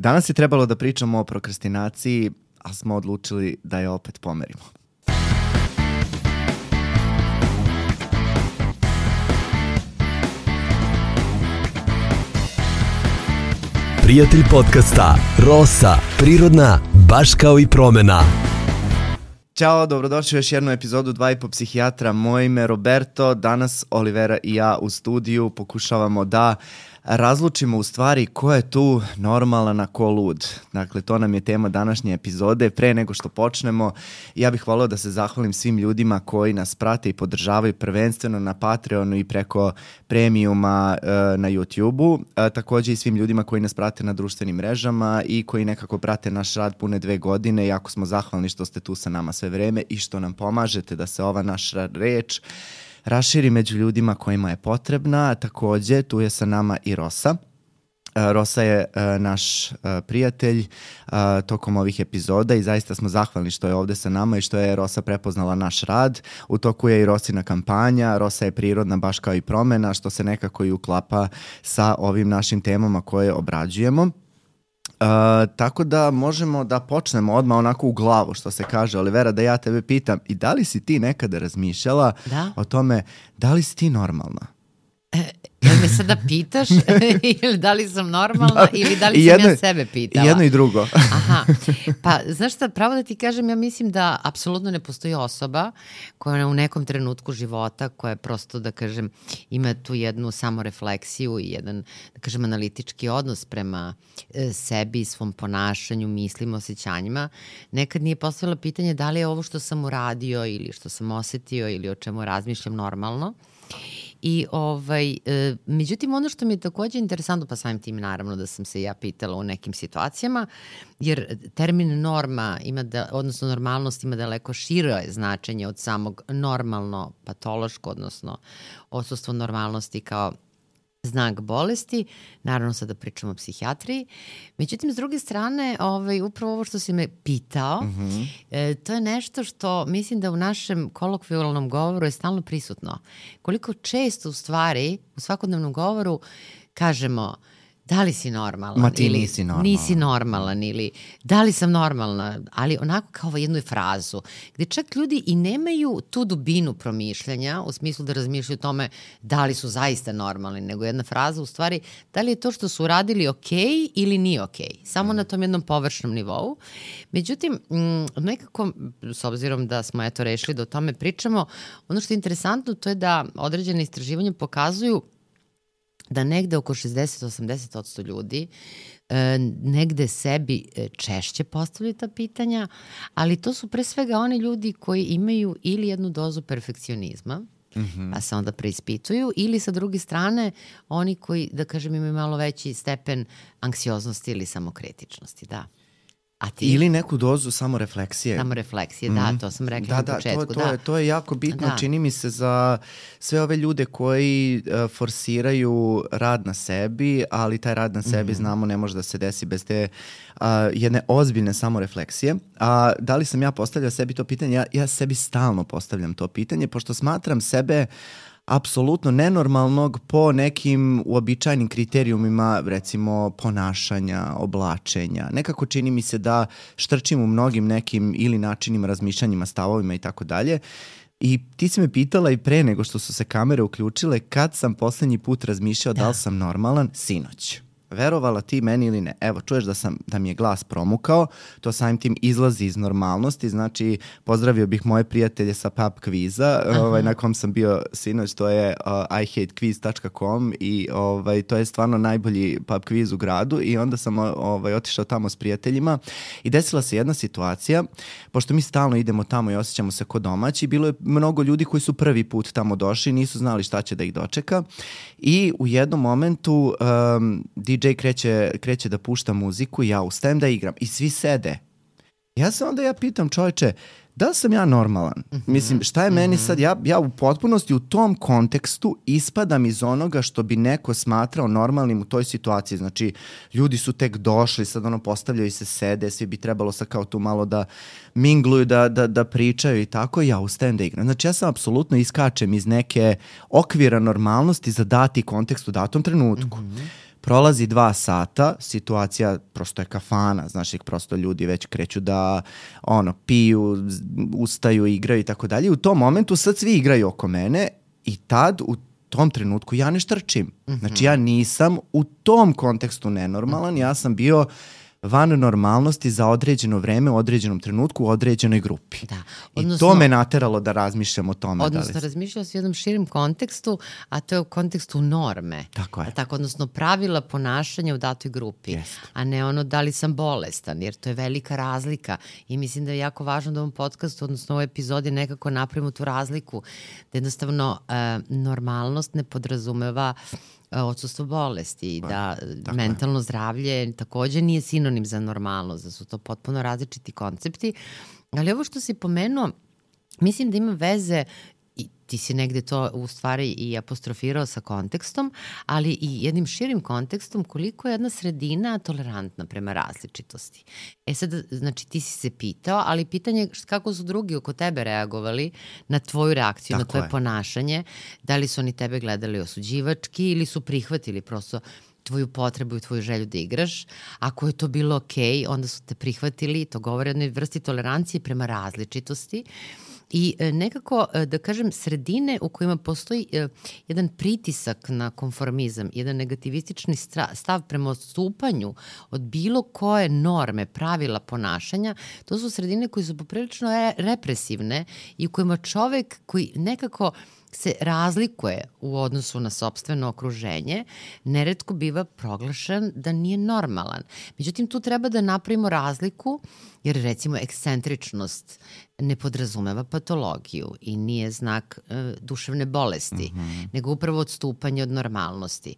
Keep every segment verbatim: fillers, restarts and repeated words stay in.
Danas je trebalo da pričamo o prokrastinaciji, ali smo odlučili da je opet pomerimo. Prijatelj podcasta Rosa, prirodna, baš kao i promena. Ćao, dobrodošli u još jednu epizodu Dva i po psihijatra. Moje ime je Roberto, danas Olivera i ja u studiju pokušavamo da razlučimo u stvari ko je tu normalan, a ko lud. Dakle, to nam je tema današnje epizode. Pre nego što počnemo, ja bih voleo da se zahvalim svim ljudima koji nas prate i podržavaju prvenstveno na Patreonu i preko premiuma e, na YouTubeu. E, također i svim ljudima koji nas prate na društvenim mrežama i koji nekako prate naš rad pune dve godine. Jako smo zahvalni što ste tu sa nama sve vreme i što nam pomažete da se ova naša reč raširi među ljudima kojima je potrebna. Također, tu je sa nama i Rosa. Rosa je uh, naš uh, prijatelj uh, tokom ovih epizoda i zaista smo zahvalni što je ovdje sa nama i što je Rosa prepoznala naš rad. U toku je i Rosina kampanja. Rosa je prirodna baš kao i promena, što se nekako i uklapa sa ovim našim temama koje obrađujemo. Uh, tako da možemo da počnemo odmah onako u glavu, što se kaže. Olivera, da ja tebe pitam, i da li si ti nekada razmišljala da? o tome da li si ti normalna? E, jel me sada pitaš ili da li sam normalna da, ili da li sam jedno, ja sebe pitala? I jedno i drugo. Aha, pa znaš šta, pravo da ti kažem, ja mislim da apsolutno ne postoji osoba koja u nekom trenutku života, koja prosto, da kažem, ima tu jednu samorefleksiju i jedan, da kažem, analitički odnos prema e, sebi, svom ponašanju, mislima, osjećanjima. Nekad nije postavila pitanje da li je ovo što sam uradio ili što sam osetio ili o čemu razmišljam normalno. I ovaj, e, međutim, ono što mi je također interesantno, pa samim tim naravno da sam se ja pitala u nekim situacijama, jer termin norma ima da, odnosno normalnost ima daleko šire značenje od samog normalno patološko, odnosno odsustvo normalnosti kao znak bolesti, naravno sada pričamo o psihijatriji. Međutim, s druge strane, ovaj, upravo ovo što si me pitao, mm-hmm. e, to je nešto što mislim da u našem kolokvijalnom govoru je stalno prisutno. Koliko često u stvari u svakodnevnom govoru kažemo da li si normalan, Ma ti ili nisi normalan. nisi normalan ili da li sam normalna, ali onako kao jednu frazu gdje čak ljudi i nemaju tu dubinu promišljanja u smislu da razmišljaju o tome da li su zaista normalni, nego jedna fraza u stvari da li je to što su uradili ok ili nije ok, samo mm. na tom jednom površnom nivou. Međutim, m, nekako, s obzirom da smo eto rešili da o tome pričamo, ono što je interesantno to je da određene istraživanja pokazuju da negde oko šezdeset do osamdeset posto ljudi e, negde sebi češće postavljaju ta pitanja, ali to su pre svega oni ljudi koji imaju ili jednu dozu perfekcionizma, mm-hmm. pa se onda preispituju, ili sa druge strane oni koji, da kažem, imaju malo veći stepen anksioznosti ili samokritičnosti, da. A ti? Ili neku dozu samorefleksije. Samorefleksije, mm. da, to sam rekla da, na da, početku. To, to, da, je, to je jako bitno, da. Čini mi se za sve ove ljude koji uh, forsiraju rad na sebi, ali taj rad na sebi, mm. znamo, ne može da se desi bez te uh, jedne ozbiljne samorefleksije. A uh, da li sam ja postavljao sebi to pitanje? Ja, ja sebi stalno postavljam to pitanje, pošto smatram sebe apsolutno nenormalnog po nekim uobičajenim kriterijumima, recimo ponašanja, oblačenja. Nekako čini mi se da štrčim u mnogim nekim ili načinima, razmišljanjima, stavovima i tako dalje. I ti si me pitala i pre nego što su se kamere uključile kad sam poslednji put razmišljao da, da li sam normalan, sinoć. Verovala ti meni ili ne. Evo, čuješ da sam da mi je glas promukao, to samim tim izlazi iz normalnosti, znači pozdravio bih moje prijatelje sa pub kviza, ovaj, na kom sam bio sinoć, to je uh, i hate quiz dot com i ovaj, to je stvarno najbolji pub kviz u gradu i onda sam ovaj, otišao tamo s prijateljima i desila se jedna situacija, pošto mi stalno idemo tamo i osjećamo se ko domaći, bilo je mnogo ljudi koji su prvi put tamo došli, nisu znali šta će da ih dočeka i u jednom momentu um, D J kreće, kreće da pušta muziku i ja ustajem da igram i svi sede. Ja se onda ja pitam, čovječe, da li sam ja normalan? Mm-hmm. Mislim, šta je mm-hmm. meni sad? Ja, ja u potpunosti u tom kontekstu ispadam iz onoga što bi neko smatrao normalnim u toj situaciji. Znači, ljudi su tek došli, sad ono postavljaju se, sede, svi bi trebalo sad kao tu malo da mingluju, da, da, da pričaju i tako, i ja ustajem da igram. Znači, ja sam apsolutno iskačem iz neke okvira normalnosti za dati kontekst u datom trenutku. Mm-hmm. Prolazi dva sata, situacija prosto je kafana, znaš, ih prosto ljudi već kreću da ono, piju, ustaju, igraju i tako dalje. U tom momentu sad svi igraju oko mene i tad u tom trenutku ja ne štrčim. Mm-hmm. Znači ja nisam u tom kontekstu nenormalan, mm-hmm. ja sam bio van normalnosti za određeno vreme, u određenom trenutku, u određenoj grupi. Da. Odnosno, I to me nateralo da razmišljam o tome. Odnosno, da li... razmišljao si u jednom širim kontekstu, a to je u kontekstu norme. Tako je. Tako, odnosno, pravila ponašanja u datoj grupi, Jest. a ne ono da li sam bolestan, jer to je velika razlika. I mislim da je jako važno da u ovom podcastu, odnosno u ovoj epizodi, nekako napravimo tu razliku. Da jednostavno, uh, normalnost ne podrazumeva odsustvo bolesti i da tako mentalno je. Zdravlje takođe nije sinonim za normalnost, da su to potpuno različiti koncepti. Ali ovo što si pomenuo, mislim da ima veze, i ti si negde to u stvari i apostrofirao sa kontekstom, ali i jednim širim kontekstom koliko je jedna sredina tolerantna prema različitosti. E sad, znači ti si se pitao, ali pitanje je kako su drugi oko tebe reagovali na tvoju reakciju, tako na tvoje je. Ponašanje, da li su oni tebe gledali osuđivački ili su prihvatili prosto tvoju potrebu i tvoju želju da igraš. Ako je to bilo okej, onda su te prihvatili, to govori o jednoj vrsti tolerancije prema različitosti. I nekako, da kažem, sredine u kojima postoji jedan pritisak na konformizam, jedan negativistični stav prema odstupanju od bilo koje norme, pravila ponašanja, to su sredine koje su poprilično represivne i u kojima čovek koji nekako se razlikuje u odnosu na sopstveno okruženje, neretko biva proglašen da nije normalan. Međutim, tu treba da napravimo razliku, jer recimo ekscentričnost ne podrazumeva patologiju i nije znak e, duševne bolesti, mm-hmm. nego upravo odstupanje od normalnosti.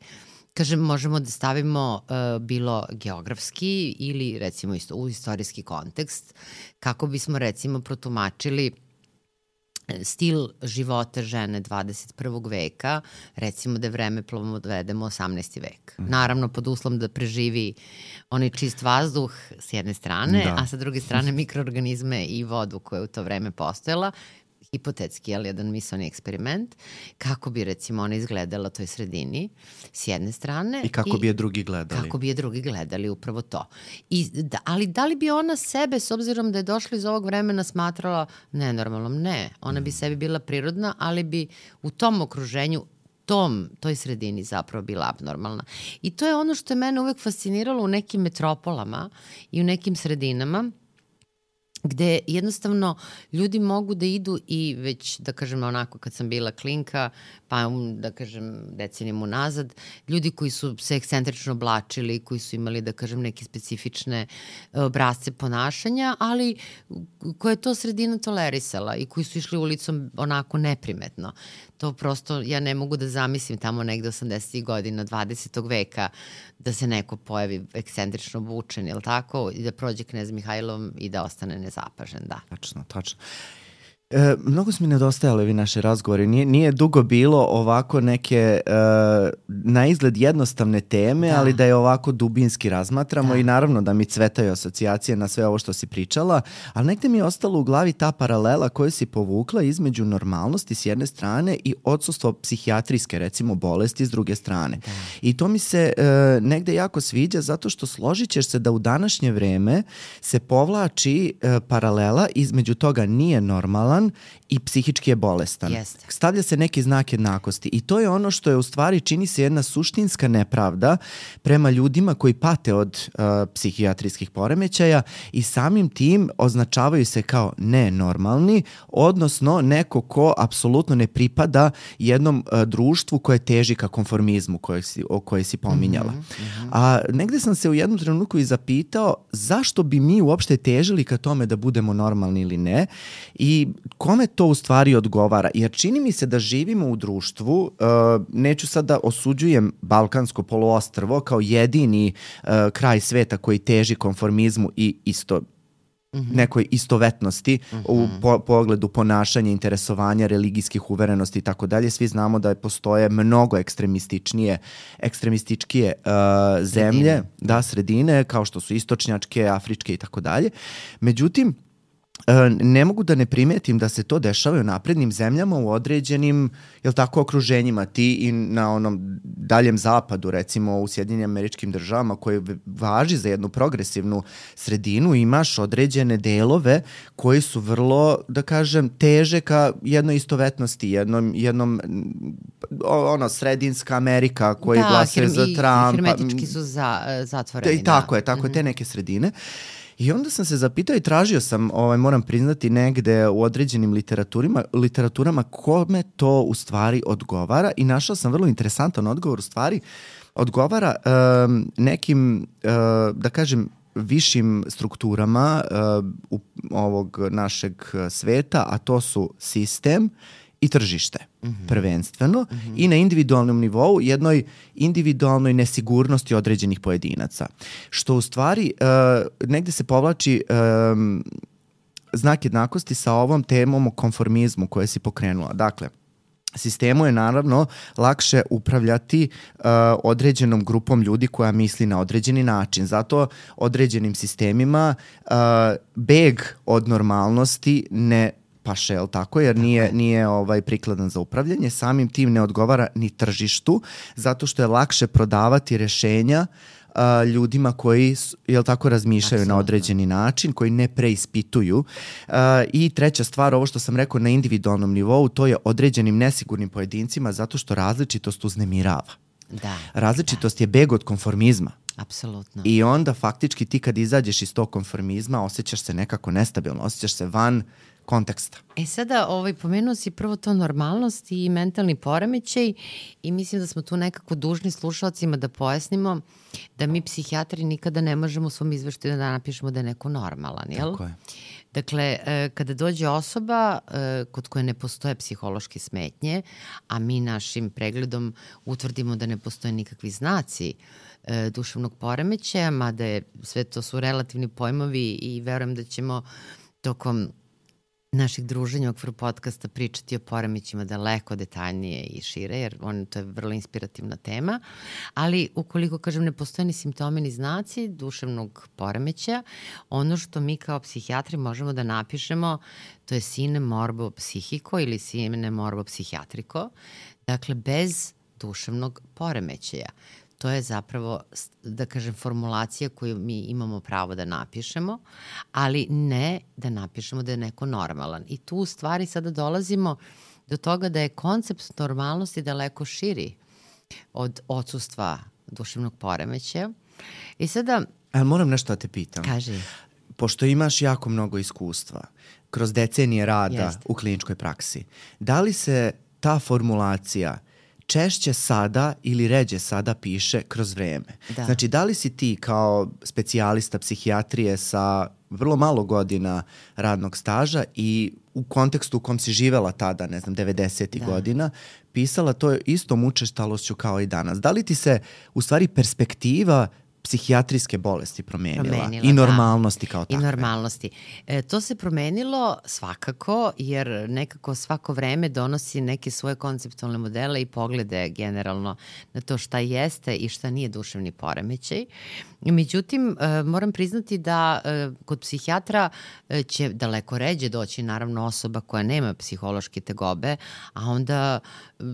Kažem, možemo da stavimo uh, bilo geografski ili recimo isto, u istorijski kontekst, kako bismo recimo protumačili stil života žene dvadeset prvog veka, recimo da je vremeplovom odvedemo osamnaesti vek. Mm. Naravno, pod uslovom da preživi onaj čist vazduh s jedne strane, da. A sa druge strane mikroorganizme i vodu koja je u to vreme postojala, hipotetski, ali jedan misaoni eksperiment, kako bi recimo ona izgledala toj sredini s jedne strane. I kako i bi je drugi gledali. Kako bi je drugi gledali, upravo to. I, da, ali da li bi ona sebe, s obzirom da je došla iz ovog vremena, smatrala nenormalnom? Ne. Ona mm. bi sebi bila prirodna, ali bi u tom okruženju tom, toj sredini zapravo bila abnormalna. I to je ono što je mene uvek fasciniralo u nekim metropolama i u nekim sredinama, gde jednostavno ljudi mogu da idu i već, da kažem onako kad sam bila klinka, pa da kažem decenijama unazad, ljudi koji su se ekscentrično oblačili, koji su imali, da kažem, neke specifične obrazce ponašanja, ali koje je to sredina tolerisala i koji su išli ulicom onako neprimetno. To prosto ja ne mogu da zamislim tamo negde osamdesetih godina dvadesetog veka da se neko pojavi ekscentrično obučen, jel tako? I da prođe knez Mihajlom i da ostane nezapažen, da. Tačno, tačno. E, mnogo su mi nedostajale ovi naše razgovori. Nije, nije dugo bilo ovako neke e, na izgled jednostavne teme, da. Ali da je ovako dubinski razmatramo da. I naravno da mi cvetaju asocijacije na sve ovo što si pričala, ali negde mi je ostalo u glavi ta paralela koju si povukla između normalnosti s jedne strane i odsustvo psihijatrijske, recimo, bolesti s druge strane. Da. I to mi se e, negde jako sviđa zato što složit ćeš se da u današnje vreme se povlači e, paralela između toga nije normalan i psihički je bolestan. Jeste. Stavlja se neki znak jednakosti i to je ono što je u stvari čini se jedna suštinska nepravda prema ljudima koji pate od uh, psihijatrijskih poremećaja i samim tim označavaju se kao nenormalni, odnosno neko ko apsolutno ne pripada jednom uh, društvu koje teži ka konformizmu koje si, o koje si pominjala. Mm-hmm. A negde sam se u jednom trenutku i zapitao zašto bi mi uopšte težili ka tome da budemo normalni ili ne i kome to u stvari odgovara? Jer čini mi se da živimo u društvu, uh, neću sad da osuđujem Balkansko poluostrvo kao jedini uh, kraj sveta koji teži konformizmu i isto mm-hmm. nekoj istovetnosti mm-hmm. u po, pogledu ponašanja, interesovanja, religijskih uverenosti i tako dalje. Svi znamo da postoje mnogo ekstremističnije, ekstremističkije uh, zemlje, sredine. da, sredine, kao što su istočnjačke, afričke i tako dalje. Međutim, ne mogu da ne primetim da se to dešava u naprednim zemljama u određenim, jel tako, okruženjima. Ti i na onom daljem zapadu, recimo u Sjedinjenim Američkim Državama, koje važi za jednu progresivnu sredinu, imaš određene delove koji su vrlo, da kažem, teže ka jednoj istovetnosti, jednom, jednom ono, sredinska Amerika koji da, glasuje za Trumpa. Da, hermetički su za, zatvoreni. I tako da. je, tako mm-hmm. je, te neke sredine. I onda sam se zapitao i tražio sam, ovaj, moram priznati, negde u određenim literaturima, literaturama kome to u stvari odgovara i našao sam vrlo interesantan odgovor. U stvari odgovara um, nekim, uh, da kažem, višim strukturama uh, u, ovog našeg sveta, a to su sistem i tržište, mm-hmm. prvenstveno, mm-hmm. i na individualnom nivou jednoj individualnoj nesigurnosti određenih pojedinaca. Što u stvari uh, negde se povlači um, znak jednakosti sa ovom temom o konformizmu koje si pokrenula. Dakle, sistemu je naravno lakše upravljati uh, određenom grupom ljudi koja misli na određeni način. Zato određenim sistemima uh, beg od normalnosti ne paše, jel tako, jer nije, nije ovaj prikladan za upravljanje, samim tim ne odgovara ni tržištu, zato što je lakše prodavati rešenja uh, ljudima koji, jel tako, razmišljaju Absolutno. Na određeni način, koji ne preispituju. Uh, I treća stvar, ovo što sam rekao na individualnom nivou, to je određenim nesigurnim pojedincima, zato što različitost uznemirava. Da, Različitost da. je beg od konformizma. Apsolutno. I onda faktički ti kad izađeš iz tog konformizma osjećaš se nekako nestabilno, osjećaš se van konteksta. E sada, ovaj, pomenuo si prvo to normalnost i mentalni poremećaj i mislim da smo tu nekako dužni slušalcima da pojasnimo da mi psihijatri nikada ne možemo u svom izveštaju da napišemo da je neko normalan, jel? Tako je. Dakle, kada dođe osoba kod koje ne postoje psihološke smetnje, a mi našim pregledom utvrdimo da ne postoje nikakvi znaci duševnog poremećaja, mada je sve to su relativni pojmovi i verujem da ćemo tokom naših druženja u okviru podcasta pričati o poremećima daleko detaljnije i šire, jer on, to je vrlo inspirativna tema, ali ukoliko, kažem, ne postoje ni simptomi ni znaci duševnog poremećaja, ono što mi kao psihijatri možemo da napišemo, to je sine morbo psihico ili sine morbo psihijatriko, dakle bez duševnog poremećaja. To je zapravo, da kažem, formulacija koju mi imamo pravo da napišemo, ali ne da napišemo da je neko normalan. I tu u stvari sada dolazimo do toga da je koncept normalnosti daleko širi od odsustva duševnog poremećaja. I sada... Ali moram nešto da te pitam. Kaži. Pošto imaš jako mnogo iskustva kroz decenije rada Jest. U kliničkoj praksi, da li se ta formulacija češće sada ili ređe sada piše kroz vreme? Da. Znači, da li si ti kao specijalista psihijatrije sa vrlo malo godina radnog staža i u kontekstu u kom si živela tada, ne znam, devedesetih da. Godina, pisala to istom učestalošću kao i danas? Da li ti se, u stvari, perspektiva psihijatrijske bolesti promenila, promenila i normalnosti da. Kao takve? I normalnosti. E, to se promenilo svakako, jer nekako svako vreme donosi neke svoje konceptualne modele i poglede generalno na to šta jeste i šta nije duševni poremećaj. Međutim, e, moram priznati da e, kod psihijatra e, će daleko ređe doći naravno osoba koja nema psihološke tegobe, a onda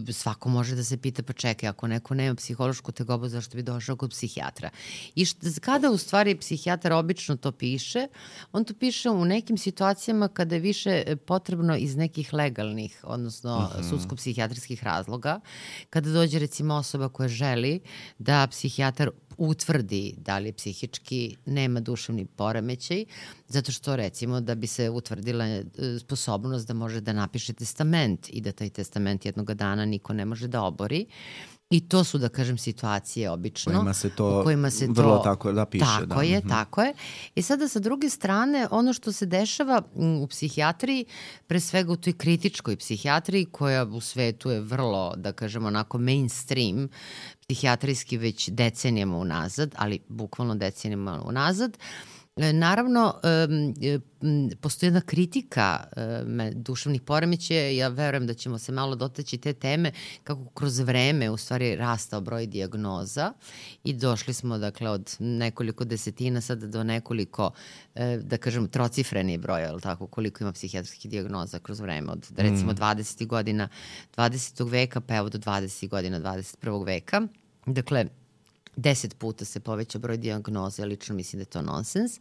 e, svako može da se pita, pa čekaj, ako neko nema psihološku tegobu, zašto bi došao kod psihijatra? I šta, kada u stvari psihijatar obično to piše, on to piše u nekim situacijama kada je više potrebno iz nekih legalnih, odnosno uh-huh. sudsko-psihijatrijskih razloga, kada dođe recimo osoba koja želi da psihijatar utvrdi da li psihički nema duševni poremećaj, zato što recimo da bi se utvrdila sposobnost da može da napiše testament i da taj testament jednog dana niko ne može da obori. I to su, da kažem, situacije obično. Kojima se to, u kojima se vrlo to, tako da piše. Tako da. je, mm-hmm. tako je. I sada sa druge strane, ono što se dešava u psihijatriji, pre svega u toj kritičkoj psihijatriji, koja u svetu je vrlo, da kažem, onako mainstream, psihijatrijski već decenijama unazad, ali bukvalno decenijama unazad, Naravno, postoji jedna kritika duševnih poremećaja, ja verujem da ćemo se malo dotaći te teme, kako kroz vreme u stvari rastao broj dijagnoza i došli smo dakle od nekoliko desetina sada do nekoliko, da kažem, trocifreni broj, ali tako, koliko ima psihijatrijskih dijagnoza kroz vreme, od recimo dvadesetih godina dvadesetog veka pa evo do dvadesetih godina dvadeset prvog veka. Dakle, deset puta se poveća broj dijagnoza, lično mislim da je to nonsens,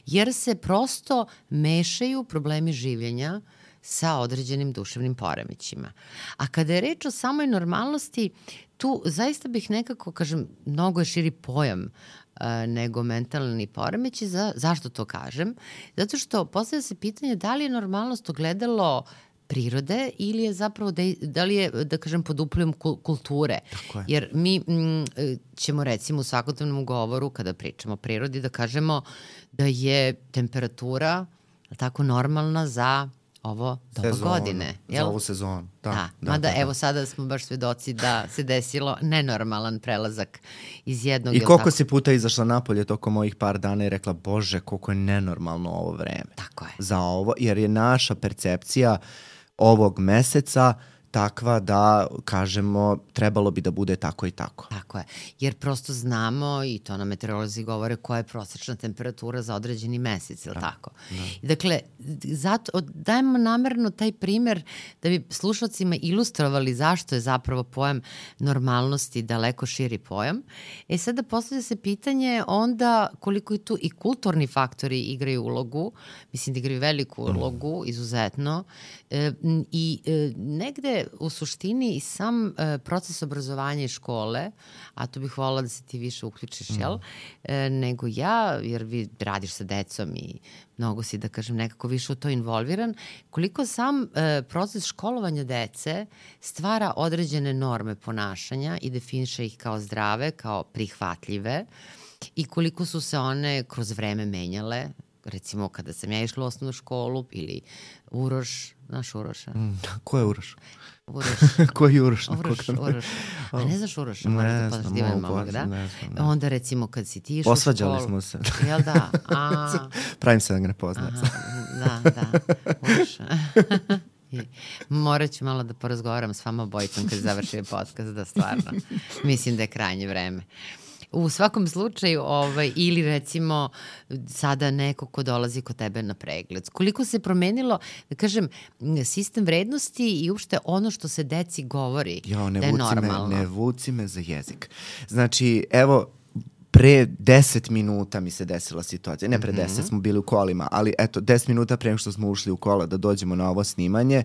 jer se prosto mešaju problemi življenja sa određenim duševnim poremećima. A kada je reč o samoj normalnosti, tu zaista bih nekako, kažem, mnogo je širi pojam uh, nego mentalni poremeći. Za, zašto to kažem? Zato što postavlja se pitanje da li je normalnost ogledalo prirode ili je zapravo, da, da li je, da kažem, pod uplivom kulture. Jer mi m, ćemo recimo u svakodnevnom govoru, kada pričamo o prirodi, da kažemo da je temperatura tako normalna za ovo doba sezonu, godine. Jel? Za ovu sezonu. Da, da, da, mada da, da. Evo sada smo baš svedoci da se desilo nenormalan prelazak iz jednog... I koliko tako... si puta izašla napolje tokom ovih par dana i rekla, Bože, koliko je nenormalno ovo vreme. Tako je. Za ovo, jer je naša percepcija ovog meseca takva da, kažemo, trebalo bi da bude tako i tako. Tako je, jer prosto znamo, i to nam meteorolozi govore, koja je prosečna temperatura za određeni mesec, ili tako? Da. Dakle, zato dajemo namerno taj primer da bi slušalcima ilustrovali zašto je zapravo pojam normalnosti daleko širi pojam. E sada postavlja se pitanje onda koliko i tu i kulturni faktori igraju ulogu, mislim da igraju veliku ulogu, izuzetno, e, i e, negde u suštini i sam e, proces obrazovanja i škole, a tu bih volila da se ti više uključiš, mm. jel, e, nego ja, jer vi radiš sa decom i mnogo si, da kažem, nekako više u to involviran, koliko sam e, proces školovanja dece stvara određene norme ponašanja i definiše ih kao zdrave, kao prihvatljive i koliko su se one kroz vreme menjale. Recimo, kada sam ja išla u osnovnu školu ili Uroš, znaš Uroša? Mm, ko je Uroš? Uroš. Ko je Uroš? Uroš, Uroš. A ne znaš Uroša? Ne znam, mogu momak, da? ne znam. Da. Onda recimo kad si ti išla u školu... Osvađali smo se. Jel da? A... Pravim se da ga ne poznajem. Da, da. Uroša. Morat ću malo da porazgovaram s vama obojicom kad završi podcast, da stvarno mislim da je krajnje vreme. U svakom slučaju, ovaj, ili recimo sada neko ko dolazi kod tebe na pregled. Koliko se promenilo, da kažem, sistem vrednosti i uopšte ono što se deci govori jo, ne da je normalno. Me, ne vuci me za jezik. Znači, evo, pre deset minuta mi se desila situacija. Ne pre mm-hmm. deset, smo bili u kolima, ali eto, deset minuta pre nego što smo ušli u kola da dođemo na ovo snimanje,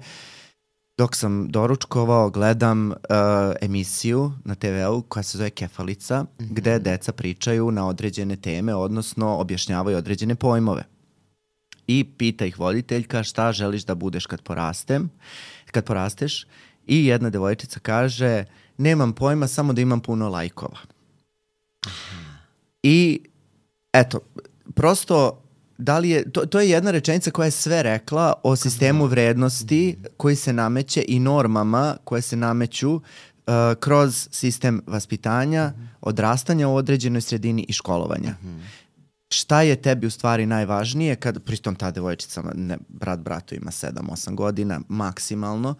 dok sam doručkovao, gledam uh, emisiju na te veu koja se zove Kefalica, mm-hmm. gde deca pričaju na određene teme, odnosno objašnjavaju određene pojmove. I pita ih voditeljka šta želiš da budeš kad porastem, kad porasteš. I jedna devojčica kaže, nemam pojma, samo da imam puno lajkova. I eto, prosto... Da li je, to, to je jedna rečenica koja je sve rekla o sistemu vrednosti koji se nameće i normama koje se nameću uh, kroz sistem vaspitanja, odrastanja u određenoj sredini i školovanja. Šta je tebi u stvari najvažnije kad, pritom ta devojčica, ne, brat bratu ima sedam osam godina maksimalno,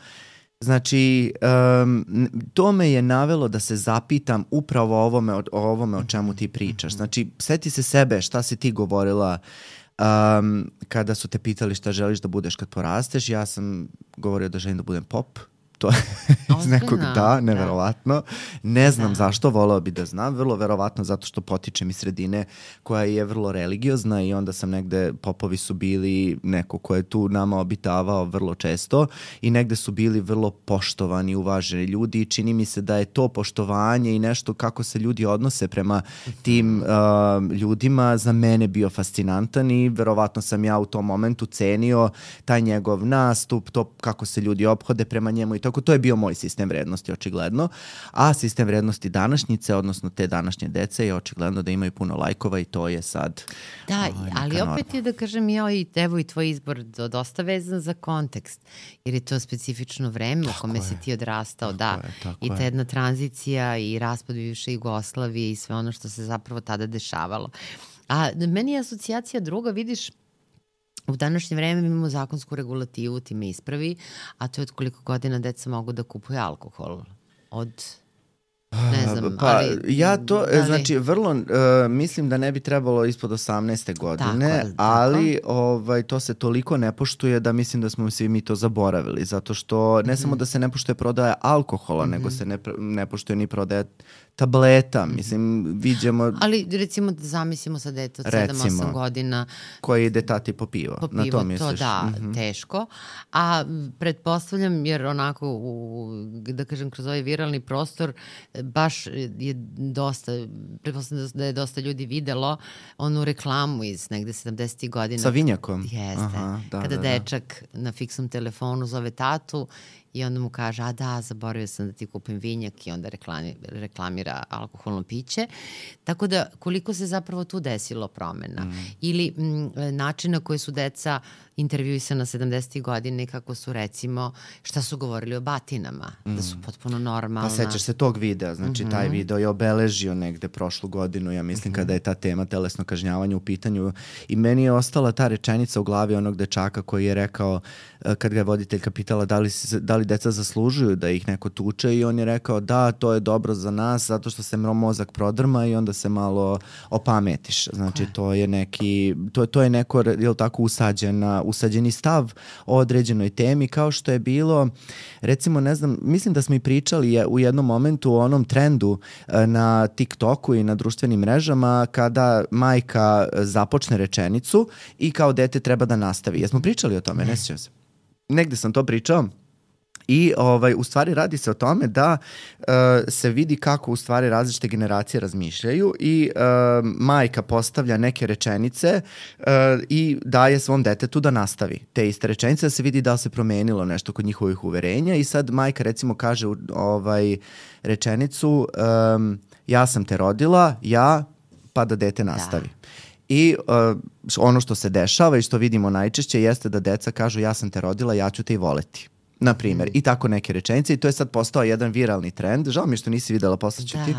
znači, um, to me je navelo da se zapitam upravo o ovome, o ovome o čemu ti pričaš. Znači, seti se sebe šta si ti govorila Um, kada su te pitali šta želiš da budeš kad porasteš, ja sam govorio da želim da budem pop. To je iz nekog da, neverovatno. Ne znam da. zašto, voleo bi da znam. Vrlo verovatno zato što potičem iz sredine koja je vrlo religiozna i onda sam negde, popovi su bili neko ko je tu nama obitavao vrlo često i negde su bili vrlo poštovani, uvaženi ljudi i čini mi se da je to poštovanje i nešto kako se ljudi odnose prema tim uh, ljudima za mene bio fascinantan i verovatno sam ja u tom momentu cenio taj njegov nastup, to kako se ljudi ophode prema njemu i to. Tako, to je bio moj sistem vrednosti, očigledno. A sistem vrednosti današnjice, odnosno te današnje dece, je očigledno da imaju puno lajkova i to je sad... Da, o, ali norma. Opet je da kažem ja i evo i tvoj izbor dosta vezan za kontekst, jer je to specifično vreme tako u kome je. si ti odrastao, tako da. Je, I ta jedna tranzicija i raspad bivše Jugoslavije i sve ono što se zapravo tada dešavalo. A meni je asocijacija druga, vidiš, u današnje vreme imamo zakonsku regulativu, ti me ispravi, a to je od koliko godina deca mogu da kupuju alkohol. Od... Ne znam, pa, ali... ja to, ali... znači, vrlo, uh, mislim da ne bi trebalo ispod osamnaeste godine, tako, ali tako. ovaj, to se toliko ne poštuje da mislim da smo svi mi to zaboravili, zato što ne mm-hmm. samo da se ne poštuje prodaja alkohola, mm-hmm. nego se ne, ne poštuje ni prodaja tableta, mislim, viđemo... Ali recimo da zamislimo sa dete od sedam osam godina... Koji ide tati po pivo, po pivo, na to misliš? To da, mm-hmm. teško. A pretpostavljam, jer onako, u, da kažem, kroz ovaj viralni prostor, baš je dosta, pretpostavljam da je dosta ljudi videlo onu reklamu iz negde sedamdesetih godina. Sa vinjakom? Jeste. Aha, da, kada da, dečak da. na fiksnom telefonu zove tatu i onda mu kaže, a da, zaboravio sam da ti kupim vinjak, i onda reklami, reklamira alkoholno piće. Tako da, koliko se zapravo tu desilo promena. Mm. Ili m, način na koji su deca intervjuisana sedamdesetih godina i kako su, recimo, šta su govorili o batinama, mm. da su potpuno normalna. Pa sećaš se tog videa, znači mm-hmm. taj video je obeležio negde prošlu godinu, ja mislim, mm-hmm. kada je ta tema telesno kažnjavanje u pitanju, i meni je ostala ta rečenica u glavi onog dečaka koji je rekao, kad ga je voditeljka pitala da li, da li deca zaslužuju da ih neko tuče, i on je rekao da, to je dobro za nas zato što se mozak prodrma i onda se malo opametiš. Znači okay. to je neki, to, to je neko, jel tako, usađena, usađeni stav o određenoj temi, kao što je bilo, recimo, ne znam, mislim da smo i pričali u jednom momentu o onom trendu na TikToku i na društvenim mrežama kada majka započne rečenicu i kao dete treba da nastavi. Jesmo pričali o tome? Ne sjećam se. Negde sam to pričao. I ovaj, u stvari radi se o tome da uh, se vidi kako u stvari različite generacije razmišljaju i uh, majka postavlja neke rečenice uh, i daje svom detetu da nastavi te iste rečenice, da se vidi da li se promenilo nešto kod njihovih uverenja, i sad majka recimo kaže ovaj, rečenicu um, ja sam te rodila, ja, pa da dete nastavi. Da. I uh, ono što se dešava i što vidimo najčešće jeste da deca kažu ja sam te rodila, ja ću te i voleti. Na primjer, mm. i tako neke rečenice, i to je sad postao jedan viralni trend. Žao mi što nisi videla, poslaću da, ti.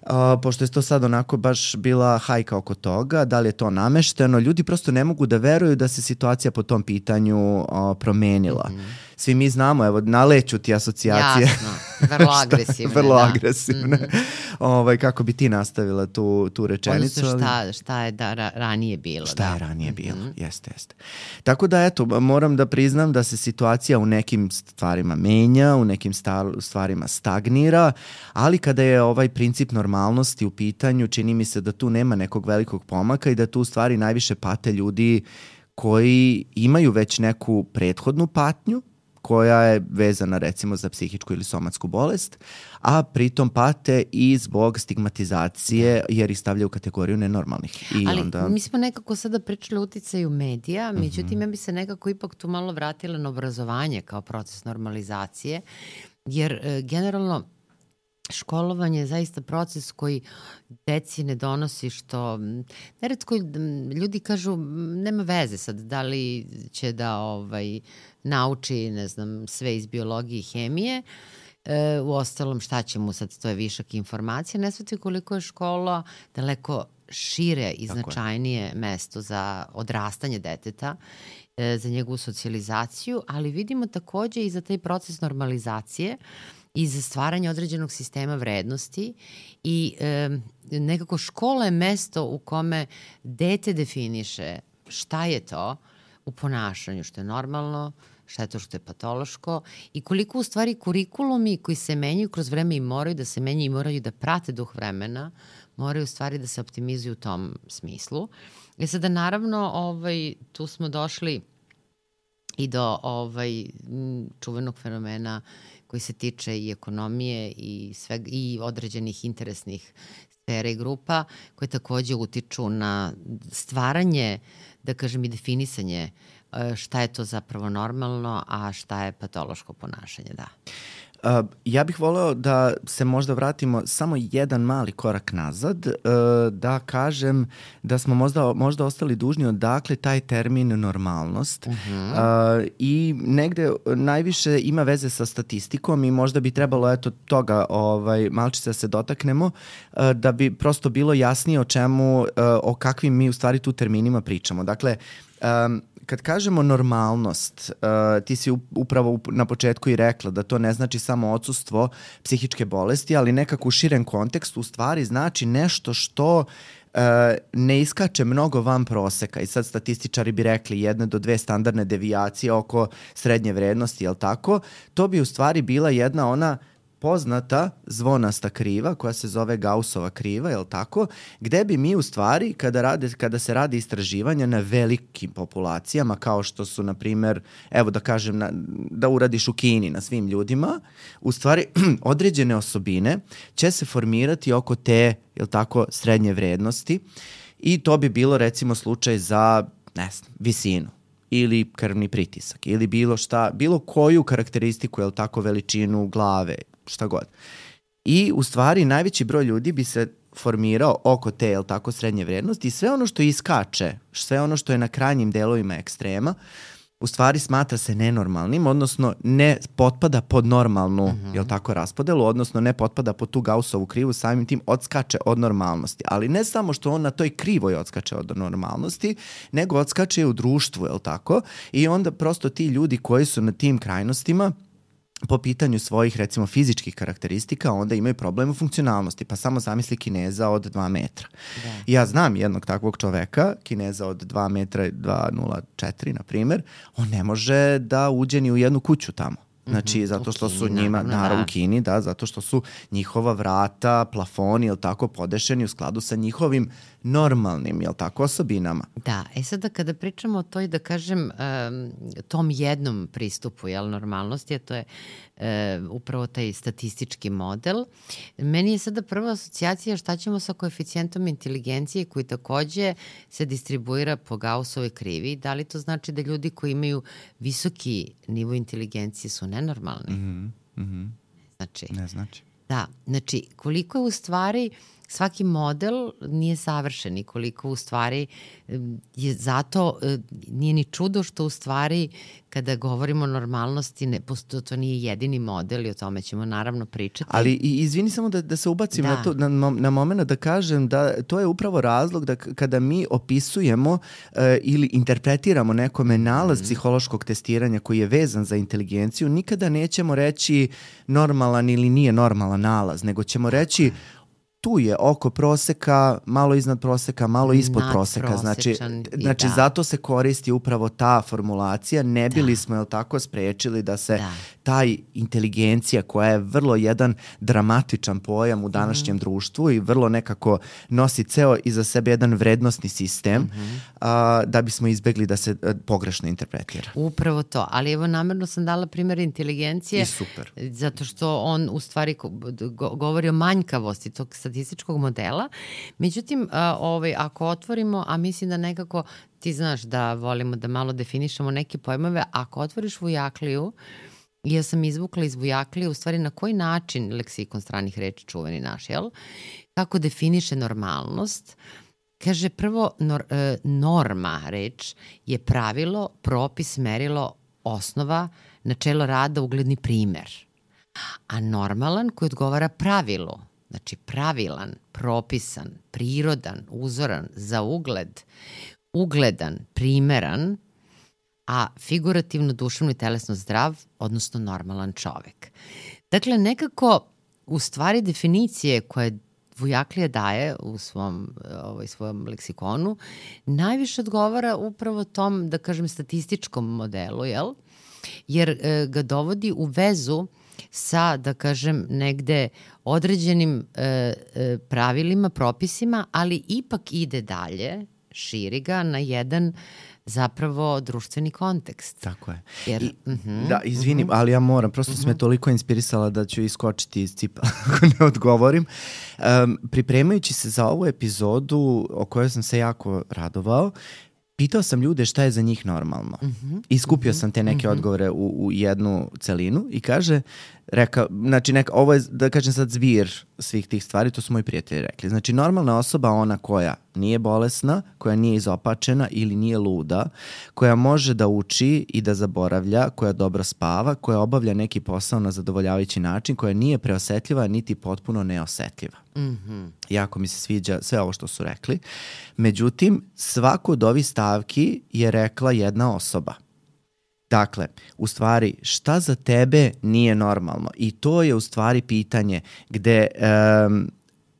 Da. Uh, pošto je to sad onako baš bila hajka oko toga, da li je to namešteno. Ljudi prosto ne mogu da veruju da se situacija po tom pitanju uh, promenila. Mm-hmm. Svi mi znamo, evo, naleću ti asocijacije. Jasno, vrlo agresivne. vrlo da. agresivne. Mm-hmm. ovaj, kako bi ti nastavila tu, tu rečenicu? Odnosno šta, šta je da, ra, ranije bilo. Šta da. je ranije bilo, mm-hmm. jeste, jeste. Tako da, eto, moram da priznam da se situacija u nekim stvarima menja, u nekim stvarima stagnira, ali kada je ovaj princip normalnosti u pitanju, čini mi se da tu nema nekog velikog pomaka i da tu u stvari najviše pate ljudi koji imaju već neku prethodnu patnju, koja je vezana recimo za psihičku ili somatsku bolest, a pritom pate i zbog stigmatizacije jer ih stavljaju u kategoriju nenormalnih. I Ali onda... mi smo nekako sada pričali o uticaju medija, međutim mm-hmm. ja bi se nekako ipak tu malo vratila na obrazovanje kao proces normalizacije, jer e, generalno školovanje je zaista proces koji deci ne donosi što... Neretko ljudi kažu nema veze sad da li će da ovaj, nauči, ne znam, sve iz biologije i hemije. E, u ostalom šta će mu sad, to je višak informacija. Ne shvati koliko je škola daleko šire i značajnije mesto za odrastanje deteta, e, za njegovu socijalizaciju, ali vidimo takođe i za taj proces normalizacije i za stvaranje određenog sistema vrednosti i e, nekako škola je mesto u kome dete definiše šta je to u ponašanju, što je normalno, šta je to što je patološko i koliko u stvari kurikulumi koji se menjaju kroz vreme i moraju da se menjaju i moraju da prate duh vremena, moraju u stvari da se optimizuju u tom smislu. I sada naravno ovaj, tu smo došli i do ovaj, čuvenog fenomena koji se tiče i ekonomije i, sveg, i određenih interesnih sfera i grupa koje takođe utiču na stvaranje, da kažem, i definisanje šta je to zapravo normalno, a šta je patološko ponašanje, da. Uh, ja bih voleo da se možda vratimo samo jedan mali korak nazad, uh, da kažem da smo možda, možda ostali dužni odakle taj termin normalnost uh-huh. uh, i negde najviše ima veze sa statistikom i možda bi trebalo eto toga ovaj, malčice da se dotaknemo uh, da bi prosto bilo jasnije o čemu, uh, o kakvim mi u stvari tu terminima pričamo. Dakle, um, kad kažemo normalnost, uh, ti si upravo na početku i rekla da to ne znači samo odsustvo psihičke bolesti, ali nekako u širem kontekstu u stvari znači nešto što uh, ne iskače mnogo van proseka. I sad statističari bi rekli jedne do dve standardne devijacije oko srednje vrednosti, jel tako? To bi u stvari bila jedna ona poznata zvonasta kriva koja se zove Gaussova kriva, je li tako? Gde bi mi u stvari, kada, rade, kada se radi istraživanja na velikim populacijama, kao što su, na primer, evo da kažem, na, da uradiš u Kini na svim ljudima, u stvari određene osobine će se formirati oko te, je li tako, srednje vrednosti i to bi bilo recimo slučaj za, ne znam, visinu ili krvni pritisak ili bilo šta, bilo koju karakteristiku, je li tako, veličinu glave, šta god. I u stvari najveći broj ljudi bi se formirao oko te, jel tako, srednje vrednosti i sve ono što iskače, sve ono što je na krajnjim delovima ekstrema, u stvari smatra se nenormalnim, odnosno ne potpada pod normalnu, uh-huh. jel tako, raspodelu, odnosno ne potpada pod tu Gaussovu krivu, samim tim odskače od normalnosti. Ali ne samo što on na toj krivoj odskače od normalnosti, nego odskače u društvu, jel tako? I onda prosto ti ljudi koji su na tim krajnostima po pitanju svojih, recimo, fizičkih karakteristika, onda imaju problem u funkcionalnosti. Pa samo zamisli Kineza od dva metra. Da. Ja znam jednog takvog čoveka, Kineza od dva metra i dva nula četiri, na primer, on ne može da uđe ni u jednu kuću tamo. Znači, mm-hmm. zato što su njima, naravno, u Kini, da, zato što su njihova vrata, plafoni, jel tako, podešeni u skladu sa njihovim normalnim, jel tako, osobinama. Da, e sada kada pričamo o toj, da kažem, um, tom jednom pristupu, jel, normalnosti, a to je uh, upravo taj statistički model, meni je sada prva asocijacija šta ćemo sa koeficijentom inteligencije koji takođe se distribuira po Gaussovoj krivi. Da li to znači da ljudi koji imaju visoki nivo inteligencije su nenormalni? Mm-hmm. Mm-hmm. Znači, ne znači. Da, znači koliko je u stvari svaki model nije savršen i koliko u stvari je zato nije ni čudo što u stvari kada govorimo o normalnosti ne, to nije jedini model i o tome ćemo naravno pričati. Ali izvini samo da, da se ubacim da. na, to, na, na moment da kažem da to je upravo razlog da kada mi opisujemo uh, ili interpretiramo nekome nalaz mm. psihološkog testiranja koji je vezan za inteligenciju, nikada nećemo reći normalan ili nije normalan nalaz, nego ćemo reći tu je oko proseka, malo iznad proseka, malo ispod proseka. Znači, znači da. zato se koristi upravo ta formulacija. Ne bili da. smo, jel tako, sprečili da se da. taj inteligencija koja je vrlo jedan dramatičan pojam u današnjem mm-hmm. društvu i vrlo nekako nosi ceo iza sebe jedan vrednosni sistem mm-hmm. a, da bismo izbegli da se a, pogrešno interpretira. Upravo to. Ali evo namerno sam dala primjer inteligencije. I super. Zato što on u stvari go- govori o manjkavosti tog statističkog modela. Međutim, a, ovaj, ako otvorimo, a mislim da nekako ti znaš da volimo da malo definišemo neke pojmove, ako otvoriš Vujakliju, ja sam izvukla iz Vujaklije u stvari na koji način leksikon stranih reči čuveni naš, jel? Kako definiše normalnost? Kaže prvo, nor, e, norma reč je pravilo, propis, merilo, osnova, načelo rada, ugledni primer. A normalan koji odgovara pravilu, znači pravilan, propisan, prirodan, uzoran, za ugled, ugledan, primeran, a figurativno, duševno i telesno zdrav, odnosno normalan čovek. Dakle, nekako u stvari definicije koje Vujaklija daje u svom, ovaj, svojom leksikonu najviše odgovara upravo tom, da kažem, statističkom modelu, jel? Jer e, ga dovodi u vezu sa, da kažem, negde određenim e, e, pravilima, propisima, ali ipak ide dalje, širi ga na jedan zapravo društveni kontekst. Tako je. Jer, I, uh-huh, da, izvinim, uh-huh. ali ja moram, prosto uh-huh. sam me toliko inspirisala da ću iskočiti iz cipa ako ne odgovorim. Um, pripremajući se za ovu epizodu o kojoj sam se jako radovao, pitao sam ljude šta je za njih normalno. Uh-huh. I skupio uh-huh. sam te neke uh-huh. odgovore u, u jednu celinu i kaže, rekao, znači neka, ovo je, da kažem sad, zbir svih tih stvari, to su moji prijatelji rekli. Znači, normalna osoba ona koja nije bolesna, koja nije izopačena ili nije luda, koja može da uči i da zaboravlja, koja dobro spava, koja obavlja neki posao na zadovoljavajući način, koja nije preosetljiva niti potpuno neosetljiva. Mm-hmm. Jako mi se sviđa sve ovo što su rekli. Međutim, svaku od ovih stavki je rekla jedna osoba. Dakle, u stvari, šta za tebe nije normalno? I to je u stvari pitanje gde um,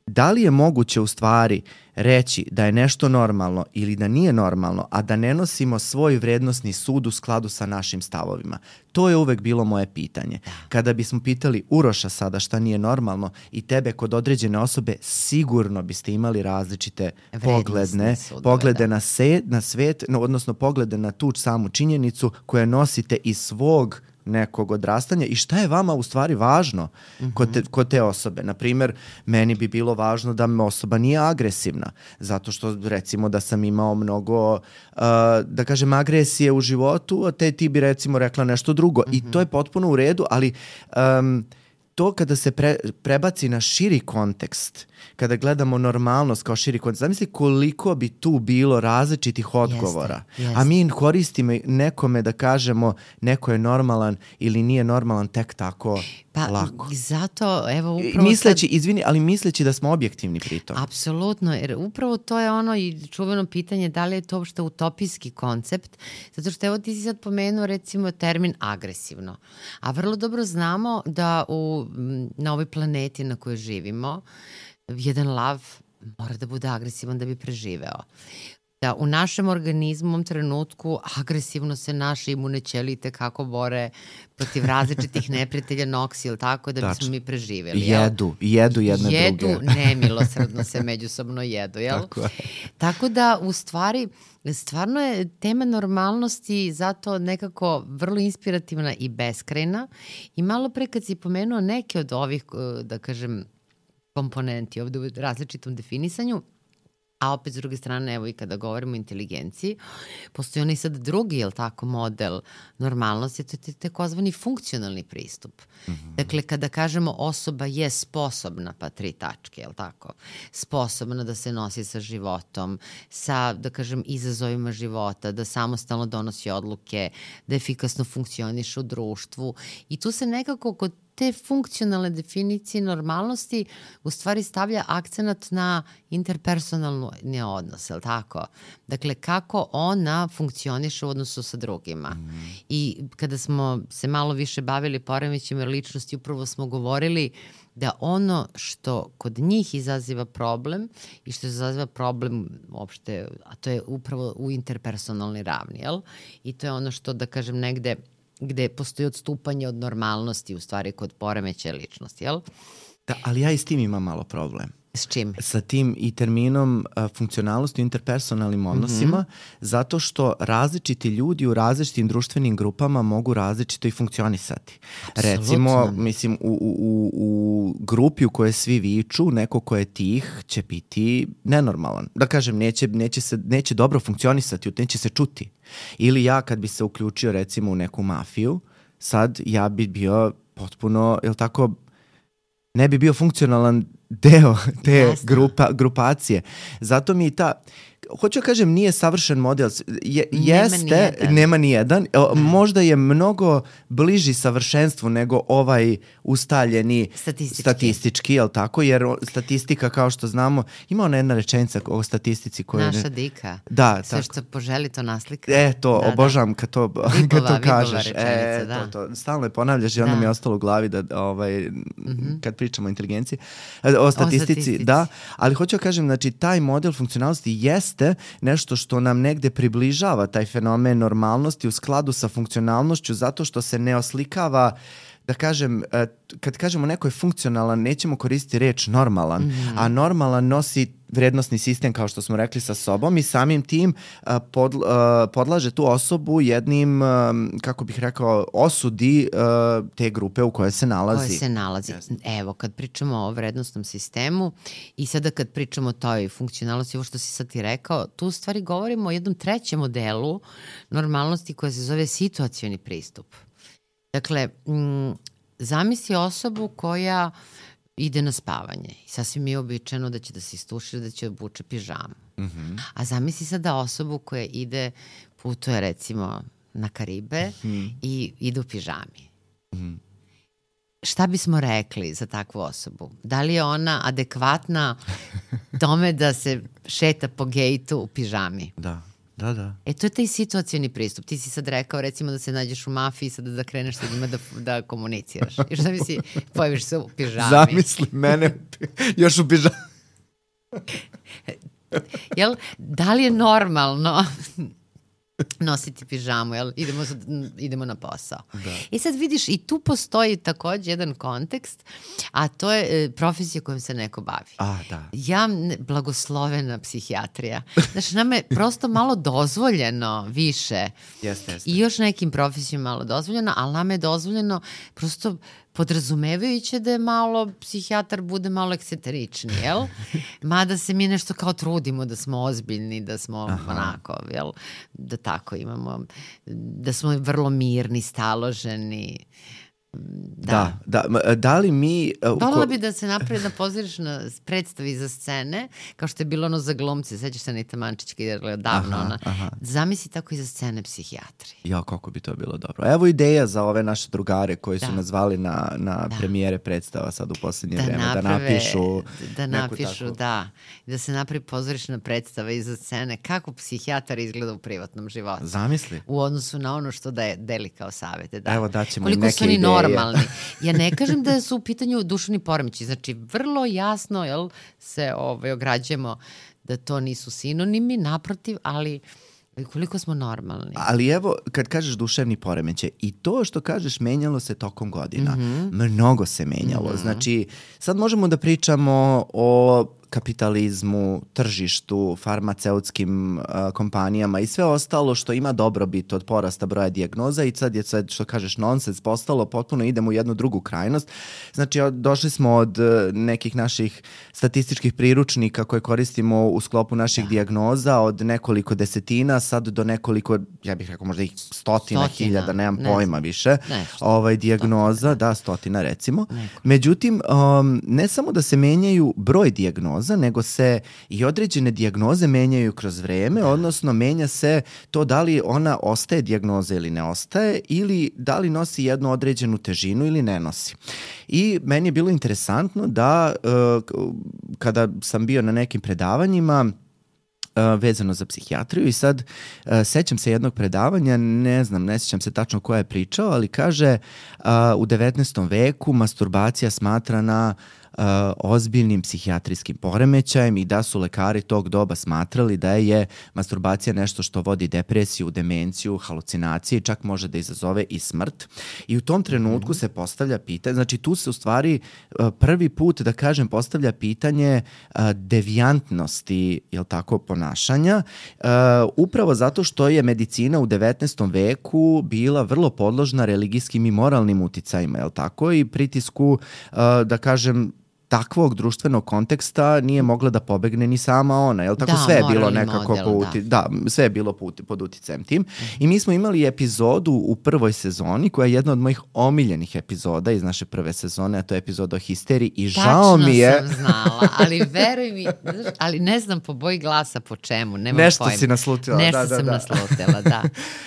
da li je moguće u stvari reći da je nešto normalno ili da nije normalno, a da ne nosimo svoj vrednosni sud u skladu sa našim stavovima. To je uvek bilo moje pitanje. Kada bismo pitali Uroša sada šta nije normalno i tebe kod određene osobe, sigurno biste imali različite pogledne, sudove, poglede na, se, na svet, no, odnosno poglede na tu samu činjenicu koje nosite iz svog nekog odrastanja i šta je vama u stvari važno mm-hmm. kod, te, kod te osobe. Naprimjer, meni bi bilo važno da me osoba nije agresivna, zato što recimo da sam imao mnogo, uh, da kažem, agresije u životu, a te ti bi recimo rekla nešto drugo mm-hmm. i to je potpuno u redu, ali um, to kada se pre, prebaci na širi kontekst, kada gledamo normalnost kao širi kontekst, zamisli koliko bi tu bilo različitih odgovora. Jeste, jeste. A mi koristimo nekome da kažemo neko je normalan ili nije normalan tek tako pa, lako. Zato, evo, upravo misleći, sad... izvini, ali misleći da smo objektivni pritom. Apsolutno, jer upravo to je ono i čuveno pitanje da li je to uopšte utopijski koncept, zato što evo ti si sad pomenuo recimo termin agresivno, a vrlo dobro znamo da u, na ovoj planeti na kojoj živimo jedan lav mora da bude agresivan da bi preživeo. Da u našem organizmu u ovom trenutku agresivno se naše imune ćelije kako bore protiv različitih neprijatelja noksi ili tako da bismo mi preživeli. Jedu, jedu jedne jedu, druge. Jedu, nemilosrdno se međusobno jedu, jel? Tako je. Tako da u stvari stvarno je tema normalnosti zato nekako vrlo inspirativna i beskrajna i malo pre kad si pomenuo neke od ovih, da kažem, komponenti ovde u različitom definisanju, a opet s druge strane, evo i kada govorimo o inteligenciji, postoji onaj sad drugi, jel tako, model normalnosti, to je takozvani funkcionalni pristup. Mm-hmm. Dakle, kada kažemo osoba je sposobna, pa tri tačke, jel tako, sposobna da se nosi sa životom, sa, da kažem, izazovima života, da samostalno donosi odluke, da efikasno funkcioniše u društvu i tu se nekako kod te funkcionalne definicije normalnosti u stvari stavlja akcenat na interpersonalni odnos, je li tako? Dakle, kako ona funkcioniše u odnosu sa drugima. Mm. I kada smo se malo više bavili poremećajima ličnosti, upravo smo govorili da ono što kod njih izaziva problem i što izaziva problem uopšte, a to je upravo u interpersonalnoj ravni, jel? I to je ono što, da kažem, negde gde postoji odstupanje od normalnosti u stvari kod poremećaja ličnosti, jel? Da, ali ja i s tim imam malo problem. S čim? Sa tim i terminom uh, funkcionalnosti u interpersonalnim odnosima, mm-hmm. zato što različiti ljudi u različitim društvenim grupama mogu različito i funkcionisati. Absolutno. Recimo, mislim, u, u, u grupi u kojoj svi viču, neko ko je tih će biti nenormalan. Da kažem, neće, neće, se, neće dobro funkcionisati, neće se čuti. Ili ja kad bi se uključio recimo u neku mafiju, sad ja bi bio potpuno, jel tako, ne bi bio funkcionalan deo te grupa, grupacije. Zato mi ta, hoću da kažem, nije savršen model. Je, nema jeste, nijedan. nema nijedan. Možda je mnogo bliži savršenstvu nego ovaj ustaljeni statistički, statistički jel tako? Jer statistika, kao što znamo, ima ona jedna rečenica o statistici koju... Naša dika. Da, sve tako. Što poželi to naslika. E, to, da, obožavam da. Kad to, vibova, kad to kažeš. E, da. to, to. Stalno je ponavljaš i onda da. mi je ostalo u glavi da, ovaj, mm-hmm. kad pričamo o inteligenciji, o statistici, o statistici, da, ali hoću da kažem, znači, taj model funkcionalnosti jeste nešto što nam negde približava taj fenomen normalnosti u skladu sa funkcionalnošću, zato što se ne oslikava, da kažem, kad kažemo neko je funkcionalan, nećemo koristiti reč normalan, mm. a normalan nosi vrednosni sistem, kao što smo rekli, sa sobom i samim tim uh, pod, uh, podlaže tu osobu jednim, uh, kako bih rekao, osudi uh, te grupe u kojoj se nalazi. Koje se nalazi. Yes. Evo, kad pričamo o vrednostnom sistemu i sada kad pričamo o toj funkcionalnosti, ovo što si sad ti rekao, tu u stvari govorimo o jednom trećem modelu normalnosti koja se zove situacioni pristup. Dakle, m, zamisli osobu koja ide na spavanje i sasvim je običajno da će da se istušira, da će obuče pižamu. Mm-hmm. A zamisli sada osobu koja ide, putuje recimo na Karibe mm-hmm. i ide u pižami. Mm-hmm. Šta bismo rekli za takvu osobu? Da li je ona adekvatna tome da se šeta po gejtu u pižami? Da. Da, da. E, to je taj situacioni pristup. Ti si sad rekao, recimo, da se nađeš u mafiji, sada da kreneš sa njima da, da komuniciraš. I šta misli, pojaviš se u pižami. Zamisli mene još u pižami. Jel, da li je normalno nositi pižamu, jel? Idemo, idemo na posao. Da. I sad vidiš, i tu postoji takođe jedan kontekst, a to je e, profesija kojom se neko bavi. A, da. Ja, blagoslovena psihijatrija. Znači, nam je prosto malo dozvoljeno više. Jeste, jeste. I još nekim profesijama malo dozvoljeno, ali nam je dozvoljeno prosto podrazumevajuće da je malo psihijatar bude malo ekscentrični, jel? Mada se mi nešto kao trudimo da smo ozbiljni, da smo Aha. onako, jel? Da tako imamo, da smo vrlo mirni, staloženi. Da, da, da, da li mi... Uh, Volila bi da se napravi da pozorišna predstavi za scene, kao što je bilo ono za glumce, sećaš se Anita Mančićka je davno aha, ona. Aha. Zamisli tako i za scene psihijatri. Ja, kako bi to bilo dobro. Evo ideja za ove naše drugare koji da. su nazvali na, na da. premijere predstava sad u posljednje da vreme, naprave, da napišu... Da napišu, tako. da. Da se napravi pozorišna predstava i za scene, kako psihijatar izgleda u privatnom životu. Zamisli. U odnosu na ono što da je deli kao savete. Da. Evo, daćemo Koliko neke ideje. Normalni. Ja ne kažem da su u pitanju duševni poremećaji, znači vrlo jasno jel, se ovaj, ograđujemo da to nisu sinonimi, naprotiv, ali koliko smo normalni. Ali evo, kad kažeš duševni poremećaj, i to što kažeš menjalo se tokom godina. Mm-hmm. Mnogo se menjalo. Mm-hmm. Znači, sad možemo da pričamo o kapitalizmu, tržištu, farmaceutskim uh, kompanijama i sve ostalo što ima dobrobit od porasta broja dijagnoza i sad je sad, što kažeš, nonsens postalo, potpuno idemo u jednu drugu krajnost. Znači, od, došli smo od uh, nekih naših statističkih priručnika koje koristimo u sklopu naših da. dijagnoza od nekoliko desetina, sad do nekoliko, ja bih rekao možda ih stotina, stotina. hiljada, nemam ne pojma znam. više, ne, ovaj, dijagnoza, stotina. da, stotina recimo. Neko. Međutim, um, ne samo da se menjaju broj dijagnoza, nego se i određene dijagnoze menjaju kroz vreme, da. odnosno menja se to da li ona ostaje dijagnoza ili ne ostaje ili da li nosi jednu određenu težinu ili ne nosi. I meni je bilo interesantno da uh, kada sam bio na nekim predavanjima Uh, vezano za psihijatriju i sad uh, sećam se jednog predavanja, ne znam, ne sećam se tačno ko je pričao, ali kaže uh, u devetnaestom veku masturbacija smatrana Uh, ozbiljnim psihijatrijskim poremećajem i da su lekari tog doba smatrali da je masturbacija nešto što vodi depresiju, demenciju, halucinacije i čak može da izazove i smrt. I u tom trenutku mm-hmm. se postavlja pitanje, znači tu se u stvari uh, prvi put, da kažem, postavlja pitanje uh, devijantnosti, jel tako, ponašanja, uh, upravo zato što je medicina u devetnaestom veku bila vrlo podložna religijskim i moralnim uticajima, jel tako, i pritisku, uh, da kažem, takvog društvenog konteksta nije mogla da pobegne ni sama ona, jel tako? Da, sve je bilo nekako model, po uti, da. da, sve je bilo po, pod uticajem tim. Mm-hmm. I mi smo imali epizodu u prvoj sezoni koja je jedna od mojih omiljenih epizoda iz naše prve sezone, a to je epizoda o histeriji i Tačno žao mi je... Tačno sam znala, ali veruj mi, ali ne znam po boji glasa po čemu, nemam Nešto pojma. si naslutila. Nešto da, da, sam da. naslutila, da.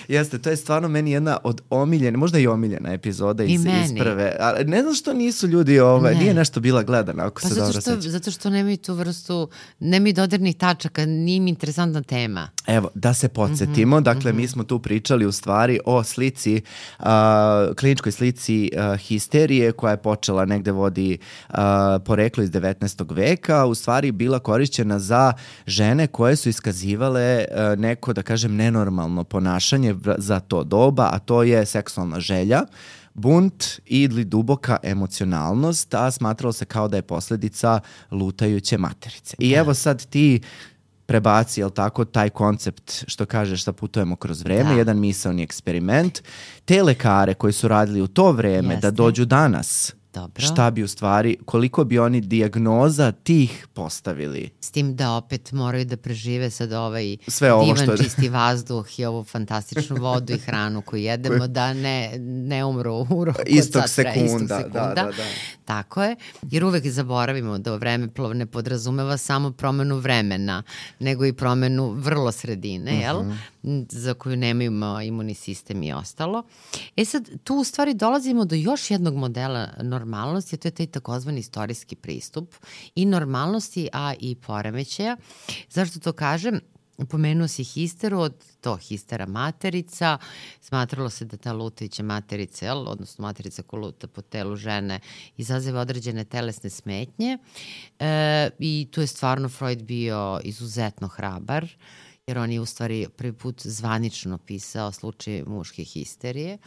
Jeste, to je stvarno meni jedna od omiljene, možda i omiljena epizoda iz, iz prve. Ali ne znam što nisu ljudi, ovaj, ne. nije nešto bila gledana, ako pa se dobro sećam. Zato što nemaju tu vrstu, nemaju dodirnih tačaka, nije im interesantna tema. Evo, da se podsjetimo, mm-hmm, dakle, mm-hmm. mi smo tu pričali u stvari o slici, uh, kliničkoj slici uh, histerije koja je počela negde vodi uh, poreklo iz devetnaestog veka, u stvari bila korišćena za žene koje su iskazivale uh, neko, da kažem, nenormalno ponašanje za to doba, a to je seksualna želja, bunt ili duboka emocionalnost, a smatralo se kao da je posljedica lutajuće materice. I evo sad ti prebaci, jel tako, taj koncept što kažeš da putujemo kroz vreme, da. jedan misaoni eksperiment. Te lekare koji su radili u to vreme Jeste. da dođu danas Dobro. šta bi u stvari, koliko bi oni dijagnoza tih postavili. S tim da opet moraju da prežive sad ovaj Sve ovo divan što... čisti vazduh i ovu fantastičnu vodu i hranu koju jedemo, da ne, ne umru u roku istog od sat, sekunda. istog sekunda. Da, da, da. Tako je, jer uvek zaboravimo da vremeplov ne podrazumeva samo promenu vremena, nego i promenu vrlo sredine, uh-huh. jel? Za koju nemaju imunni sistem i ostalo. E sad, tu u stvari dolazimo do još jednog modela normalnosti, a to je taj takozvani istorijski pristup i normalnosti, a i poremećaja. Zašto to kažem? Pomenuo si histeru, od to histera materica, smatralo se da ta lutajuća materica, jel, odnosno materica koja luta po telu žene, izaziva određene telesne smetnje e, i tu je stvarno Freud bio izuzetno hrabar, jer on je u stvari prvi put zvanično pisao slučaj muške histerije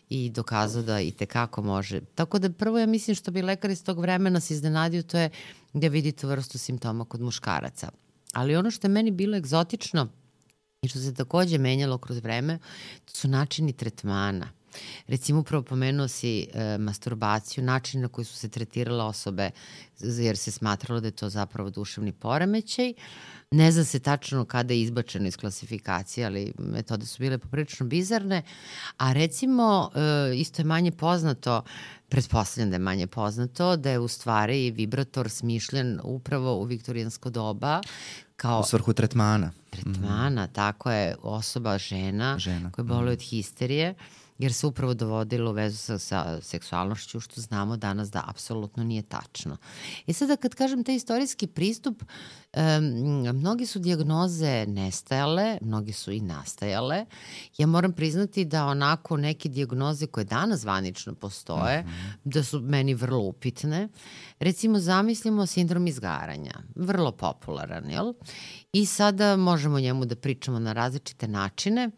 i dokazao da i tekako može. Tako da prvo ja mislim što bi lekar iz tog vremena se iznenadio, to je da vidite vrstu simptoma kod muškaraca. Ali ono što je meni bilo egzotično i što se takođe menjalo kroz vreme, to su načini tretmana. Recimo, upravo pomenuo si e, masturbaciju, način na koji su se tretirale osobe, jer se smatralo da je to zapravo duševni poremećaj. Ne zna se tačno kada je izbačeno iz klasifikacije, ali metode su bile poprilično bizarne. A recimo, e, isto je manje poznato, pretpostavljam da je manje poznato, da je u stvari vibrator smišljen upravo u viktorijansko doba, kao u svrhu tretmana. Tretmana, mm-hmm. tako je, osoba, žena, žena. koja boluje od histerije, jer se upravo dovodilo u vezu sa, sa seksualnošću, što znamo danas da apsolutno nije tačno. I sada kad kažem taj istorijski pristup, um, mnogi su dijagnoze nestajale, mnogi su i nastajale. Ja moram priznati da onako neke dijagnoze koje danas zvanično postoje, mm-hmm. da su meni vrlo upitne. Recimo, zamislimo sindrom izgaranja, vrlo popularan, jel? I sada možemo njemu da pričamo na različite načine.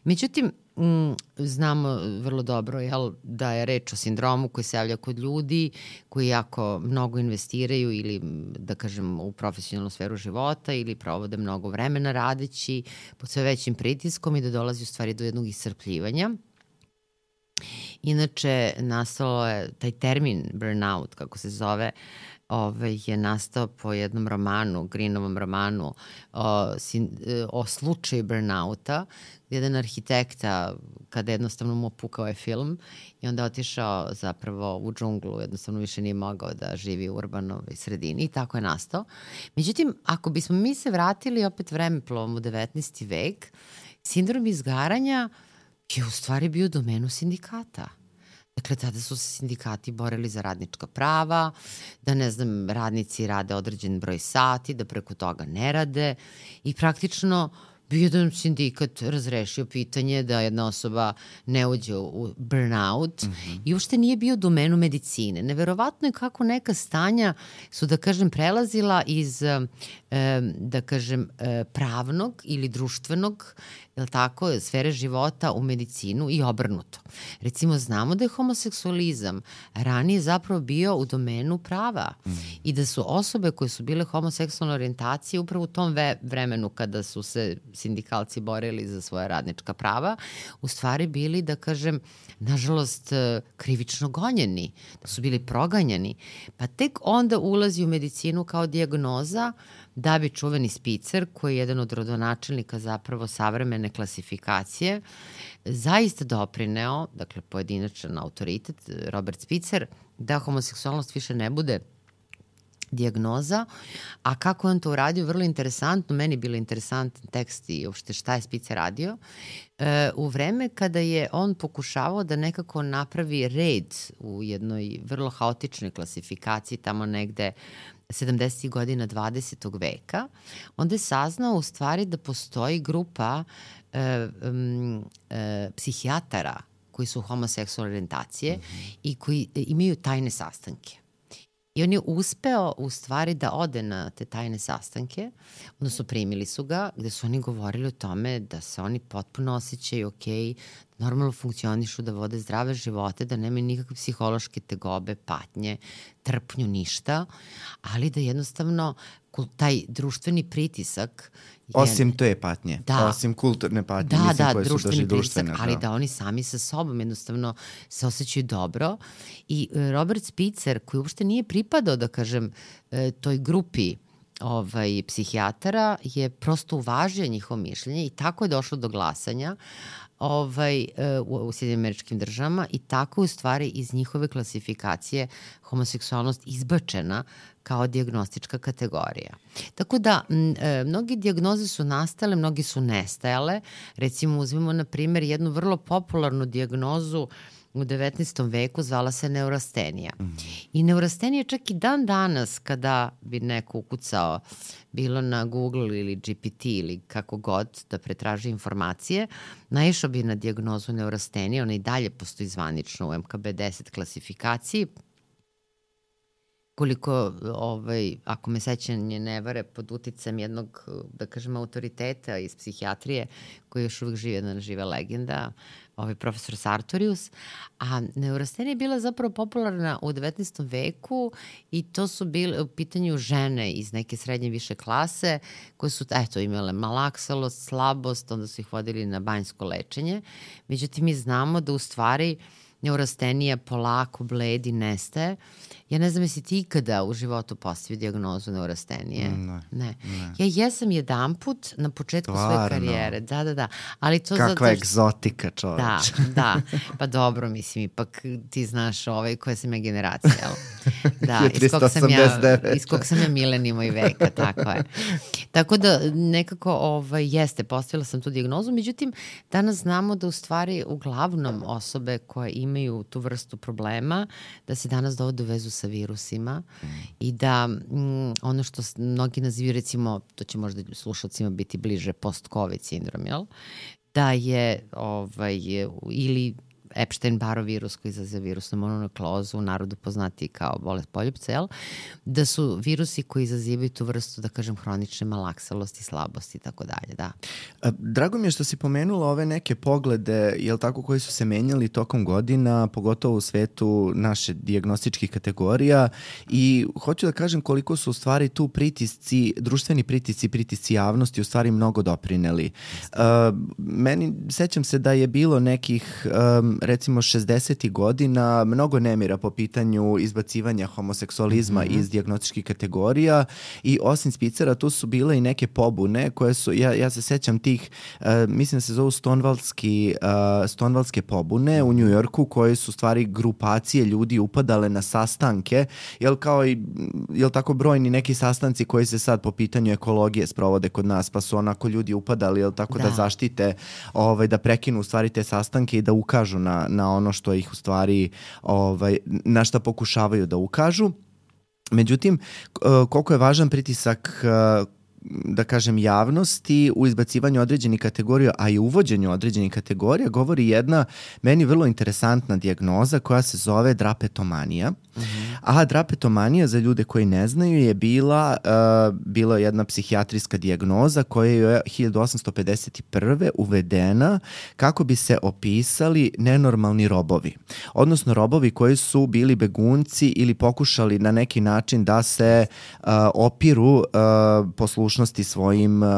Međutim, Mm, znamo vrlo dobro, jel, da je reč o sindromu koji se javlja kod ljudi koji jako mnogo investiraju ili, da kažem, u profesionalnu sferu života ili provode mnogo vremena radeći pod sve većim pritiskom i da dolazi u stvari do jednog iscrpljivanja. Inače, nastalo je taj termin burnout, kako se zove, Ove, je nastao po jednom romanu, Greenovom romanu o, sin, o slučaju burnouta, gdje jedan arhitekta, kada jednostavno mu opukao je film i onda otišao zapravo u džunglu, jednostavno više nije mogao da živi u urbanoj sredini i tako je nastao. Međutim, ako bismo mi se vratili opet vremeplovom u devetnaesti vek, sindrom izgaranja je u stvari bio u domenu sindikata. Dakle, tada su se sindikati borili za radnička prava, da, ne znam, radnici rade određen broj sati, da preko toga ne rade i praktično bi jedan sindikat razrešio pitanje da jedna osoba ne uđe u burnout mm-hmm. i uopšte nije bio u domenu medicine. Neverovatno je kako neka stanja su, da kažem, prelazila iz, da kažem, pravnog ili društvenog, jel tako, sfere života u medicinu i obrnuto. Recimo, znamo da je homoseksualizam ranije zapravo bio u domenu prava mm. i da su osobe koje su bile homoseksualne orijentacije upravo u tom ve- vremenu kada su se sindikalci borili za svoja radnička prava, u stvari bili, da kažem, nažalost, krivično gonjeni, da su bili proganjani. Pa tek onda ulazi u medicinu kao dijagnoza da bi čuveni Spitzer, koji je jedan od rodonačelnika zapravo savremene klasifikacije, zaista doprineo, dakle pojedinačan autoritet, Robert Spitzer, da homoseksualnost više ne bude dijagnoza, a kako on to uradio, vrlo interesantno, meni bilo interesantan tekst i uopšte šta je Spitzer radio, e, u vreme kada je on pokušavao da nekako napravi red u jednoj vrlo haotičnoj klasifikaciji tamo negde sedamdesetih godina dvadesetog veka, onda je saznao u stvari da postoji grupa e, um, e, psihijatara koji su homoseksualne orijentacije mm-hmm. i koji imaju tajne sastanke. I on je uspeo u stvari da ode na te tajne sastanke, odnosno primili su ga, gde su oni govorili o tome da se oni potpuno osjećaju okej, da normalno funkcionišu, da vode zdrave živote, da nemaju nikakve psihološke tegobe, patnje, trpnju, ništa, ali da jednostavno taj društveni pritisak je, osim te patnje, da, osim kulturne patnje, da, mislim da, koje su doži društvene. Da, ali da oni sami sa sobom jednostavno se osjećaju dobro. I Robert Spitzer, koji uopšte nije pripadao, da kažem, toj grupi ovaj, psihijatara, je prosto uvažio njihovo mišljenje i tako je došlo do glasanja ovaj, u, u Sjedinim Američkim Državama i tako u stvari iz njihove klasifikacije homoseksualnost izbačena kao dijagnostička kategorija. Tako da, m, e, mnogi dijagnoze su nastale, mnogi su nestajale. Recimo, uzmimo na primjer jednu vrlo popularnu dijagnozu u devetnaestom veku, zvala se neurastenija. Mm. I neurastenija čak i dan danas, kada bi neko ukucao bilo na Google ili G P T ili kako god da pretraži informacije, naišao bi na dijagnozu neurastenije, ona i dalje postoji zvanično u M K B deset klasifikaciji. Koliko, ovaj, ako me sećanje ne vare, pod uticajem jednog, da kažem, autoriteta iz psihijatrije, koji još uvijek živi, jedna živa legenda, ovaj profesor Sartorius, a neurastenija je bila zapravo popularna u devetnaestom veku i to su bile u pitanju žene iz neke srednje više klase koje su, eto, imale malaksalost, slabost, onda su ih vodili na banjsko lečenje. Međutim, mi znamo da u stvari neurastenija polako bledi, nestaje. Ja ne znam jesi ti ikada u životu postavio dijagnozu neurastenije? Ne, ne. ne. Ja jesam jedan put na početku Stvarno? svoje karijere. Da, da, da. Ali to kakva zato što... egzotika, čoveč. Da, da. Pa dobro, mislim, ipak ti znaš ovaj koja sam ja generacija, jel? Da, iz kog sam ja, iz kog sam ja milenijuma i veka, tako je. Tako da nekako ovaj, jeste, postavila sam tu dijagnozu, međutim, danas znamo da u stvari uglavnom osobe koje imaju tu vrstu problema, da se danas dovode u vezu sa virusima mm. i da mm, ono što mnogi nazivaju, recimo, to će možda slušalcima biti bliže post-covid sindrom, jel? Da je ovaj, ili Epstein-Barrov virus koji izaziva virusnu mononukleozu, u narodu poznati kao bolest poljupca, jel? Da su virusi koji izazivaju tu vrstu, da kažem, hronične malaksalosti, slabosti i tako dalje, da. Drago mi je što si pomenula ove neke poglede, jel tako, koji su se menjali tokom godina, pogotovo u svetu naše dijagnostičkih kategorija, i hoću da kažem koliko su u stvari tu pritisci, društveni pritisci, pritisci javnosti u stvari mnogo doprineli. Uh, meni, sećam se da je bilo nekih um, recimo šezdesetih godina mnogo nemira po pitanju izbacivanja homoseksualizma mm-hmm. iz dijagnostičkih kategorija i osim Spitzera tu su bile i neke pobune koje su, ja, ja se sećam tih, uh, mislim da se zovu Stonewallski, uh, Stonewallske pobune u New Yorku, koje su stvari grupacije ljudi upadale na sastanke, jel kao i, jel tako brojni neki sastanci koji se sad po pitanju ekologije sprovode kod nas, pa su onako ljudi upadali, jel tako, da, da zaštite, ovaj, da prekinu u stvari te sastanke i da ukažu na na ono što ih u stvari, ovaj, na šta pokušavaju da ukažu. Međutim, koliko je važan pritisak, da kažem, javnosti u izbacivanju određenih kategorija, a i uvođenju određenih kategorija, govori jedna meni vrlo interesantna dijagnoza koja se zove drapetomanija. Mm-hmm. A drapetomanija, za ljude koji ne znaju, je bila, uh, bila jedna psihijatrijska dijagnoza koja je hiljadu osamsto pedeset prve uvedena kako bi se opisali nenormalni robovi. Odnosno robovi koji su bili begunci ili pokušali na neki način da se uh, opiru uh, poslušnosti svojim uh,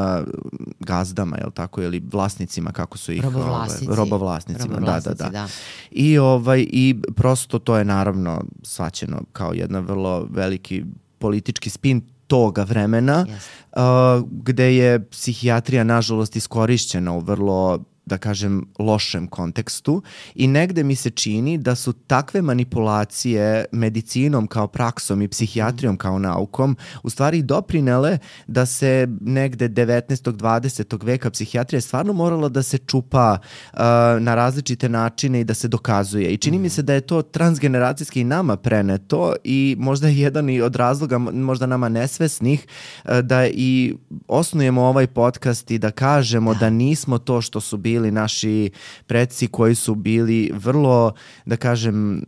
gazdama, jel tako, ili vlasnicima, kako su ih... Robovlasnici. Ovaj, robovlasnicima, robovlasnici, da, da, da. da. I, ovaj, i prosto to je naravno svaćeno kao jedna vrlo veliki politički spin toga vremena, yes. uh, gde je psihijatrija nažalost iskorišćena u vrlo, da kažem, lošem kontekstu i negde mi se čini da su takve manipulacije medicinom kao praksom i psihijatrijom kao naukom u stvari doprinele da se negde devetnaestog dvadesetog veka psihijatrija stvarno morala da se čupa uh, na različite načine i da se dokazuje. I čini mm. mi se da je to transgeneracijski i nama preneto i možda je jedan i od razloga, možda nama nesvesnih, uh, da i osnujemo ovaj podcast i da kažemo da, da nismo to što su bili bili naši preci koji su bili vrlo, da kažem,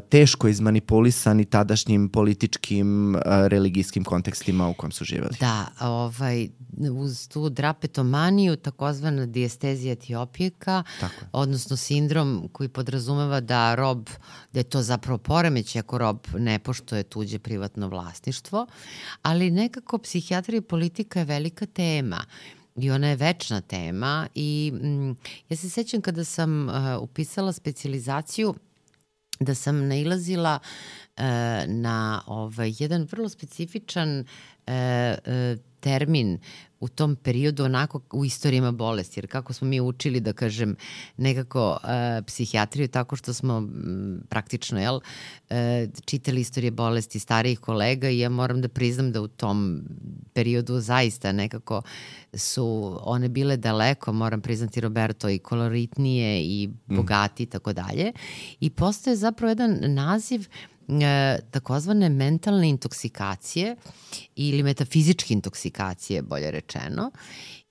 teško izmanipulisani tadašnjim političkim, religijskim kontekstima u kojem su živjeli. Da, ovaj, uz tu drapetomaniju, takozvana dijestezija etiopijeka, odnosno sindrom koji podrazumeva da rob, da je to zapravo poremeć ako rob ne poštuje tuđe privatno vlasništvo, ali nekako psihijatrija i politika je velika tema i ona je večna tema i mm, ja se sećam kada sam uh, upisala specijalizaciju da sam nailazila uh, na ovaj, jedan vrlo specifičan uh, uh, termin u tom periodu onako u istorijama bolesti, jer kako smo mi učili da kažem nekako uh, psihijatriju tako što smo m, praktično jel, uh, čitali istorije bolesti starijih kolega i ja moram da priznam da u tom periodu zaista nekako su one bile daleko, moram priznati Roberto, i koloritnije i bogati i tako dalje. I postoje zapravo jedan naziv E, takozvane mentalne intoksikacije ili metafizičke intoksikacije, bolje rečeno.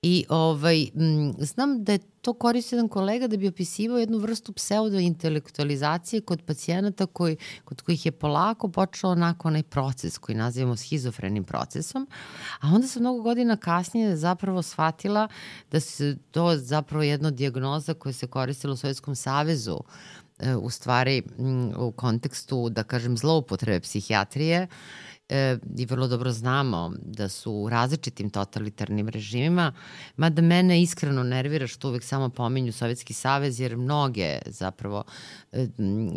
I ovaj, m, znam da je to koristio jedan kolega da bi opisivao jednu vrstu pseudointelektualizacije kod pacijenata koji, kod kojih je polako počeo onako onaj proces koji nazivamo schizofrenim procesom, a onda sam mnogo godina kasnije zapravo shvatila da se to zapravo jedna dijagnoza koja se koristila u Sovjetskom savezu u stvari u kontekstu, da kažem, zloupotrebe psihijatrije e, i vrlo dobro znamo da su u različitim totalitarnim režimima, mada mene iskreno nervira što uvek samo pominju Sovjetski savez, jer mnoge zapravo e,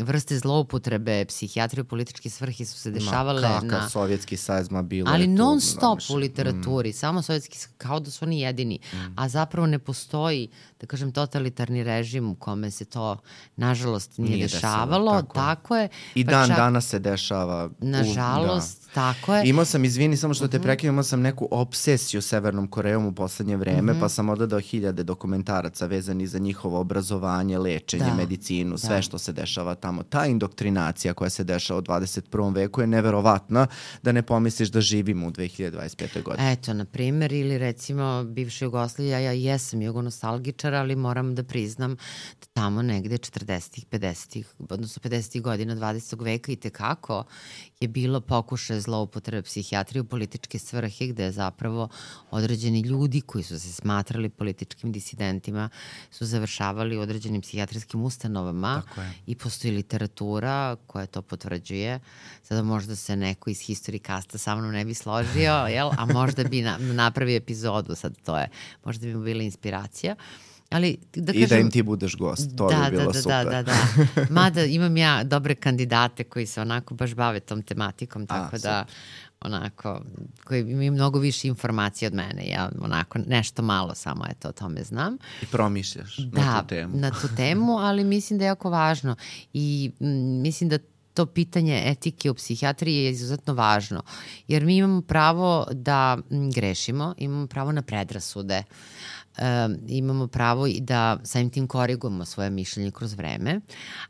vrste zloupotrebe psihijatrije u političke svrhe su se dešavale ma, kakav na... Sovjetski savez ma bilo ali je tu, non stop znaš, u literaturi, mm. samo Sovjetski, kao da su oni jedini, mm. a zapravo ne postoji, da kažem, totalitarni režim u kome se to, nažalost, nije, nije dešavalo. Desilo, tako, tako je. I pa dan čak, danas se dešava. Nažalost, u, da. tako je. Imao sam, izvini, samo što te prekinem, imao sam neku obsesiju Severnom Korejom u poslednje vreme, mm-hmm. pa sam odgledao hiljade dokumentaraca vezani za njihovo obrazovanje, lečenje, da. medicinu, sve da. što se dešava tamo. Ta indoktrinacija koja se dešava u dvadeset prvom veku je neverovatna, da ne pomisliš da živimo u dve hiljade dvadeset pete. godine. Eto, na primer, ili recimo bivša Jugoslavija, ja jesam jugonostalgičar, ali moram da priznam da tamo negde četrdesetih, pedesetih, odnosno pedesetih godina dvadesetog veka i tekako je bilo pokušaje zloupotrebe psihijatrije u političke svrhe, gde je zapravo određeni ljudi koji su se smatrali političkim disidentima su završavali u određenim psihijatrijskim ustanovama i postoji literatura koja to potvrđuje. Sada možda se neko iz Historikasta sa mnom ne bi složio, jel? A možda bi na, napravio epizodu, sad to je, možda bi mu bila inspiracija. Ali, da kažem, i da im ti budeš gost, to da, bi bilo da, super. Da, da, da. Mada imam ja dobre kandidate koji se onako baš bave tom tematikom, tako A, da onako, koji imaju mnogo više informacija od mene. Ja onako nešto malo samo eto o tome znam. I promišljaš da, na tu temu. na tu temu, ali mislim da je jako važno. I m, mislim da to pitanje etike u psihijatriji je izuzetno važno. Jer mi imamo pravo da m, grešimo, imamo pravo na predrasude. Um, imamo pravo i da samim tim korigujemo svoje mišljenje kroz vreme,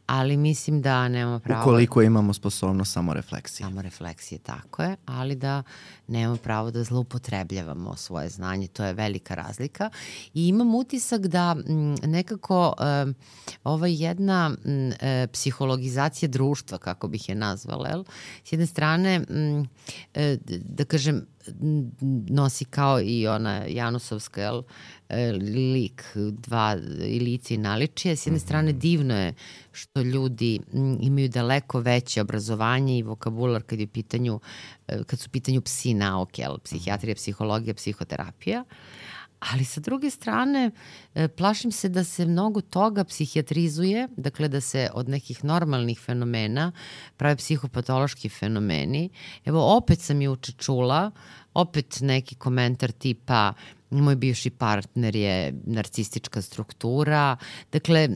ali mislim da nemamo pravo... Ukoliko imamo sposobnost samorefleksije. Samorefleksije, tako je, ali da nemamo pravo da zloupotrebljavamo svoje znanje, to je velika razlika. I imam utisak da m, nekako um, ova jedna m, e, psihologizacija društva, kako bih je nazvala, jel? S jedne strane, m, e, da kažem, nosi kao i ona Janusovska, jel, lik, dva i lice i naličije. S jedne strane divno je što ljudi imaju daleko veće obrazovanje i vokabular kad je u pitanju, kad su u pitanju psi nauke, jel, psihijatrija, psihologija, psihoterapija. Ali sa druge strane, plašim se da se mnogo toga psihijatrizuje, dakle da se od nekih normalnih fenomena prave psihopatološki fenomeni. Evo, opet sam juče čula, opet neki komentar tipa moj bivši partner je narcistička struktura. Dakle,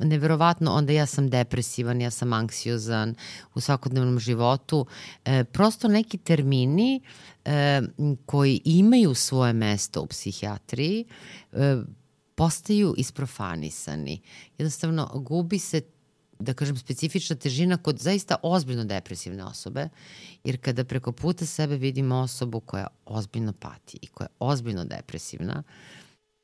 neverovatno, onda ja sam depresivan, ja sam anksiozan u svakodnevnom životu. E, prosto neki termini e, koji imaju svoje mesto u psihijatriji e, postaju isprofanisani. Jednostavno, gubi se, da kažem, specifična težina kod zaista ozbiljno depresivne osobe, jer kada preko puta sebe vidimo osobu koja ozbiljno pati i koja je ozbiljno depresivna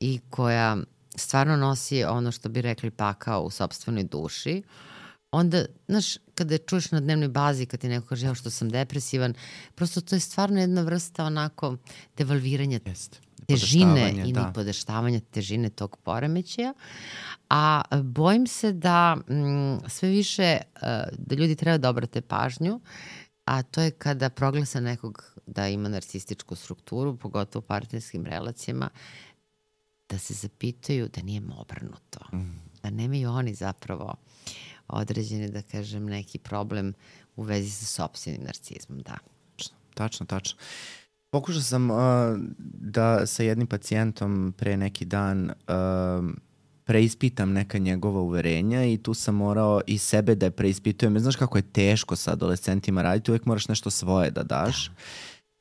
i koja stvarno nosi ono što bi rekli pakao u sopstvenoj duši, onda, znaš, kada čuješ na dnevnoj bazi, kad ti neko kaže ja što sam depresivan, prosto to je stvarno jedna vrsta onako devalviranja Jest. težine i da. nipodaštavanja težine tog poremećaja. A bojim se da m, sve više uh, da ljudi treba da obrate pažnju, a to je kada proglasa nekog da ima narcističku strukturu, pogotovo u partnerskim relacijama, da se zapitaju da nije obrnuto. Mm. Da nemaju oni zapravo određeni, da kažem, neki problem u vezi sa sopstvenim narcizmom, da. Tačno, tačno. Pokušao sam uh, da sa jednim pacijentom pre neki dan uh, preispitam neka njegova uverenja i tu sam morao i sebe da je preispitujem. Znaš kako je teško sa adolescentima raditi, uvek moraš nešto svoje da daš. Da.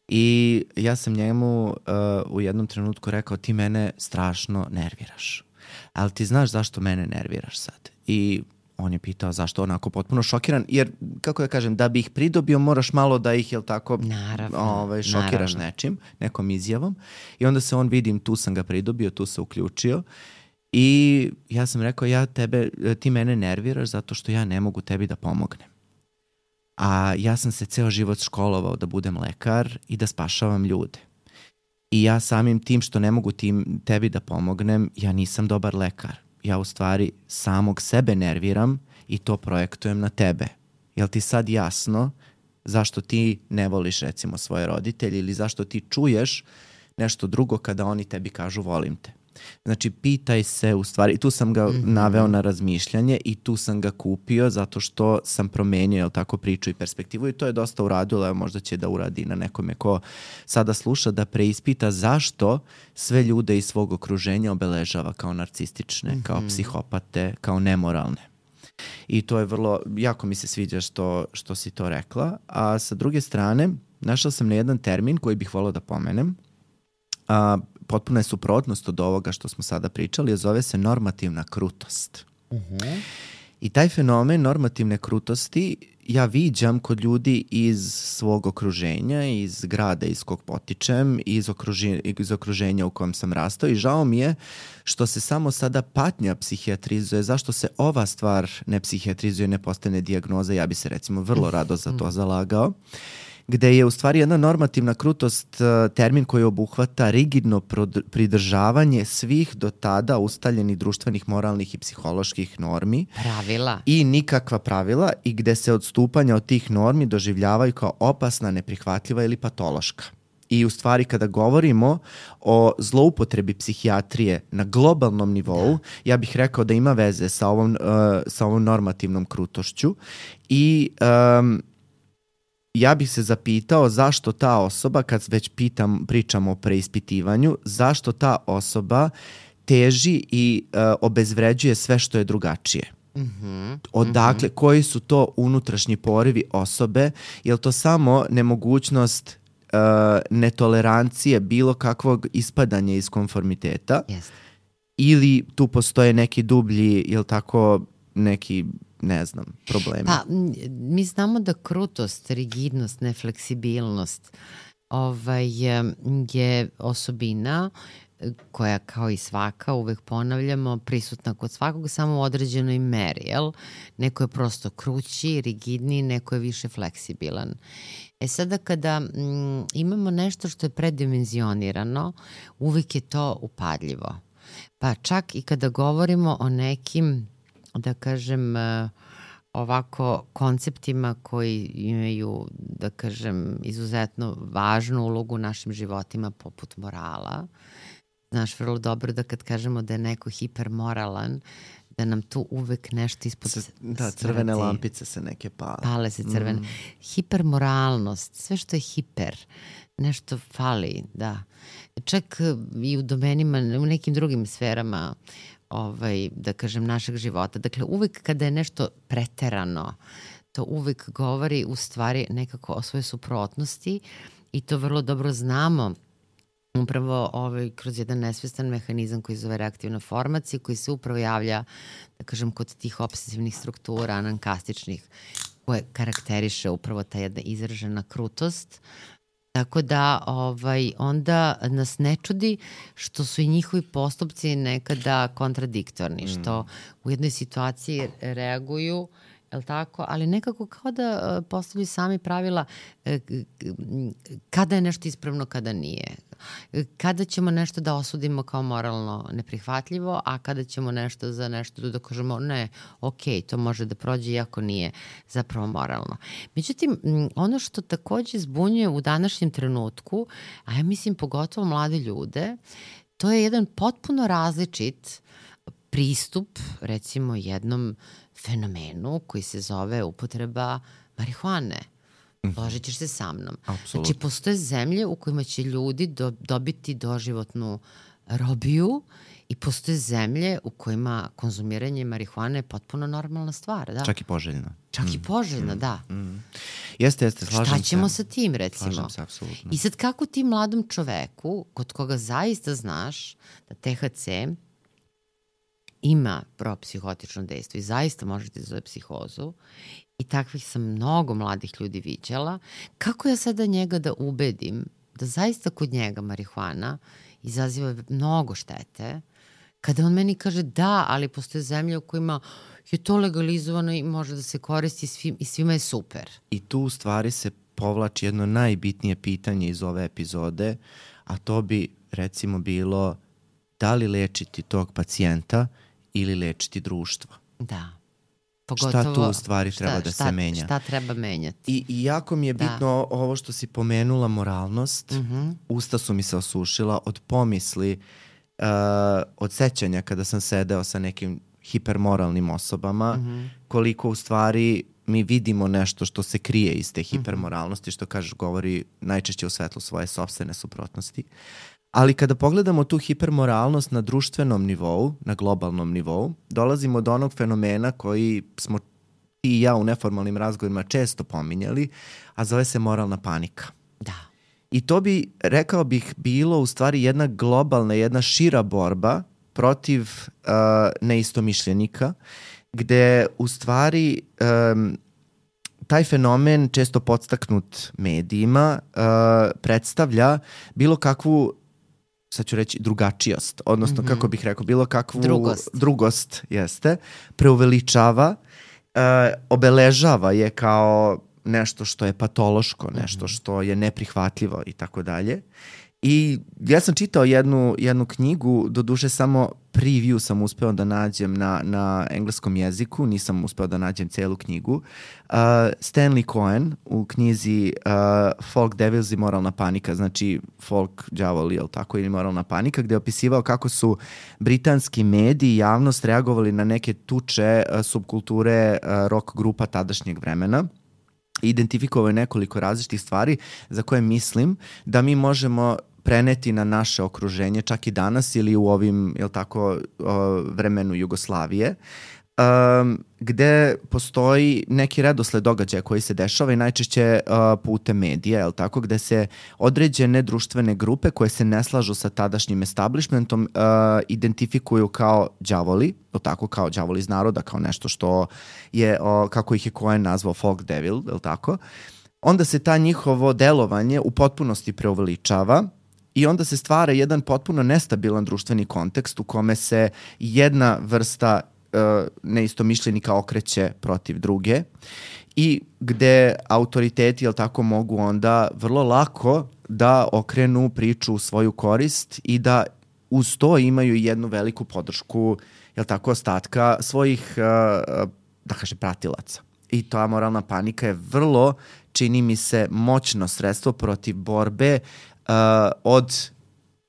I ja sam njemu uh, u jednom trenutku rekao, ti mene strašno nerviraš. Ali ti znaš zašto mene nerviraš sad? I on je pitao zašto, onako potpuno šokiran, jer, kako da kažem, da bi ih pridobio moraš malo da ih, jel tako, naravno, ovaj, šokiraš naravno. nečim, nekom izjavom. I onda se on, vidim, tu sam ga pridobio, tu se uključio. I ja sam rekao, ja tebe, ti mene nerviraš zato što ja ne mogu tebi da pomognem. A ja sam se ceo život školovao da budem lekar i da spašavam ljude. I ja samim tim što ne mogu tim, tebi da pomognem, ja nisam dobar lekar. Ja u stvari samog sebe nerviram i to projektujem na tebe. Jel ti sad jasno zašto ti ne voliš recimo svoje roditelje ili zašto ti čuješ nešto drugo kada oni tebi kažu volim te? Znači, pitaj se u stvari, i tu sam ga mm-hmm. naveo na razmišljanje i tu sam ga kupio zato što sam promenio, jel tako, priču i perspektivu i to je dosta uradilo, evo možda će da uradi na nekome ko sada sluša, da preispita zašto sve ljude iz svog okruženja obeležava kao narcistične, mm-hmm. kao psihopate, kao nemoralne. I to je vrlo, jako mi se sviđa što, što si to rekla, a sa druge strane, našla sam na jedan termin koji bih volao da pomenem, a potpuno je suprotnost od ovoga što smo sada pričali, a zove se normativna krutost. Uh-huh. I taj fenomen normativne krutosti ja viđam kod ljudi iz svog okruženja, iz grada iz kog potičem, iz, okruži, iz okruženja u kojem sam rastao i žao mi je što se samo sada patnja psihijatrizuje. Zašto se ova stvar ne psihijatrizuje, ne postane dijagnoza? Ja bi se recimo vrlo rado za to zalagao. Gde je u stvari jedna normativna krutost termin koji obuhvata rigidno pridržavanje svih do tada ustaljenih društvenih, moralnih i psiholoških normi. Pravila. I nikakva pravila i gde se odstupanja od tih normi doživljavaju kao opasna, neprihvatljiva ili patološka. I u stvari kada govorimo o zloupotrebi psihijatrije na globalnom nivou, da. Ja bih rekao da ima veze sa ovom, uh, sa ovom normativnom krutošću i um, ja bih se zapitao zašto ta osoba, kad već pitam, pričamo o preispitivanju, zašto ta osoba teži i uh, obezvređuje sve što je drugačije. Mm-hmm. Odakle, mm-hmm. koji su to unutrašnji porivi osobe? Je li to samo nemogućnost uh, netolerancije bilo kakvog ispadanja iz konformiteta? Yes. Ili tu postoje neki dublji, je li tako, neki, ne znam, problemi? Pa, mi znamo da krutost, rigidnost, nefleksibilnost ovaj, je osobina koja, kao i svaka, uvek ponavljamo, prisutna kod svakog, samo u određenoj meri, jel? Neko je prosto krući, rigidniji, neko je više fleksibilan. E sada kada m, imamo nešto što je predimenzionirano, uvek je to upadljivo. Pa čak i kada govorimo o nekim, da kažem, ovako konceptima koji imaju, da kažem, izuzetno važnu ulogu u našim životima, poput morala. Znaš vrlo dobro da kad kažemo da je neko hipermoralan, da nam tu uvek nešto ispod... C- da, crvene smrti. Lampice se neke pale. Pale se crvene. Mm. Hipermoralnost, sve što je hiper, nešto fali, da. Čak i u domenima, u nekim drugim sferama, ovaj, da kažem, našeg života. Dakle, uvek kada je nešto preterano, to uvek govori u stvari nekako o svojoj suprotnosti i to vrlo dobro znamo upravo ovaj, kroz jedan nesvestan mehanizam koji zove reaktivna formacija, koji se upravo javlja, da kažem, kod tih obsesivnih struktura, anankastičnih, koje karakteriše upravo ta jedna izražena krutost, Tako da ovaj, onda nas ne čudi što su i njihovi postupci nekada kontradiktorni, mm. što u jednoj situaciji reaguju, je li tako? Ali nekako kao da postavljaju sami pravila kada je nešto ispravno, kada nije. Kada ćemo nešto da osudimo kao moralno neprihvatljivo, a kada ćemo nešto za nešto da kažemo ne, ok, to može da prođe iako nije zapravo moralno. Međutim, ono što takođe zbunjuje u današnjem trenutku, a ja mislim pogotovo mlade ljude, to je jedan potpuno različit pristup, recimo jednom fenomenu koji se zove upotreba marihuane. Složit ćeš se sa mnom. Apsolutno. Znači, postoje zemlje u kojima će ljudi do, dobiti doživotnu robiju i postoje zemlje u kojima konzumiranje marihuane je potpuno normalna stvar. Da? Čak i poželjna. Čak mm. i poželjna, mm. da. Mm. Jeste, jeste, slažem se. Šta ćemo se. sa tim, recimo? Slažem se, apsolutno. I sad kako ti mladom čoveku, kod koga zaista znaš da T H C ima propsihotično dejstvo i zaista možete zove psihozu, i takvih sam mnogo mladih ljudi viđala, kako ja sada njega da ubedim da zaista kod njega marihuana izaziva mnogo štete, kada on meni kaže da, ali postoje zemlje u kojima je to legalizovano i može da se koristi svim, i svima je super. I tu u stvari se povlači jedno najbitnije pitanje iz ove epizode, a to bi recimo bilo da li lečiti tog pacijenta ili lečiti društvo. Da. Pogotovo, šta tu u stvari šta, treba da šta, se menja. Šta treba menjati. I, i jako mi je bitno da. ovo što si pomenula, moralnost. Mm-hmm. Usta su mi se osušila od pomisli, uh, od sećanja kada sam sedeo sa nekim hipermoralnim osobama, mm-hmm. koliko u stvari mi vidimo nešto što se krije iz te hipermoralnosti, što kažeš govori najčešće u svetlu svoje sopstvene suprotnosti. Ali kada pogledamo tu hipermoralnost na društvenom nivou, na globalnom nivou, dolazimo do onog fenomena koji smo ti i ja u neformalnim razgovorima često pominjali, a zove se moralna panika. Da. I to bi, rekao bih, bilo u stvari jedna globalna, jedna šira borba protiv uh, neistomišljenika, gde u stvari um, taj fenomen, često podstaknut medijima, uh, predstavlja bilo kakvu, sad ću reći, drugačijost, odnosno, mm-hmm. kako bih rekao, bilo kakvu drugost, drugost jeste, preuveličava, uh, obeležava je kao nešto što je patološko, nešto što je neprihvatljivo i tako dalje. I ja sam čitao jednu, jednu knjigu, doduše samo preview sam uspeo da nađem na, na engleskom jeziku, nisam uspeo da nađem celu knjigu. Uh, Stanley Cohen u knjizi uh, Folk Devils i moralna panika, znači folk đavoli, jel tako, ili moralna panika, gde je opisivao kako su britanski mediji i javnost reagovali na neke tuče uh, subkulture uh, rock grupa tadašnjeg vremena. Identifikovao je nekoliko različitih stvari za koje mislim da mi možemo preneti na naše okruženje čak i danas ili u ovim, jel tako, vremenu Jugoslavije, um, gde postoji neki redosled događaja koji se dešava i najčešće uh, putem medija, jel tako, gde se određene društvene grupe koje se ne slažu sa tadašnjim establishmentom uh, identifikuju kao đavoli, jel tako, kao đavoli iz naroda, kao nešto što je, uh, kako ih je Cohen nazvao folk devil, jel tako, onda se ta njihovo delovanje u potpunosti preuveličava. I onda se stvara jedan potpuno nestabilan društveni kontekst u kome se jedna vrsta uh, neistomišljenika okreće protiv druge i gde autoriteti, jel tako, mogu onda vrlo lako da okrenu priču u svoju korist i da uz to imaju jednu veliku podršku, jel tako, ostatka svojih, uh, da kaže, pratilaca. I ta moralna panika je vrlo, čini mi se, moćno sredstvo protiv borbe Uh, od,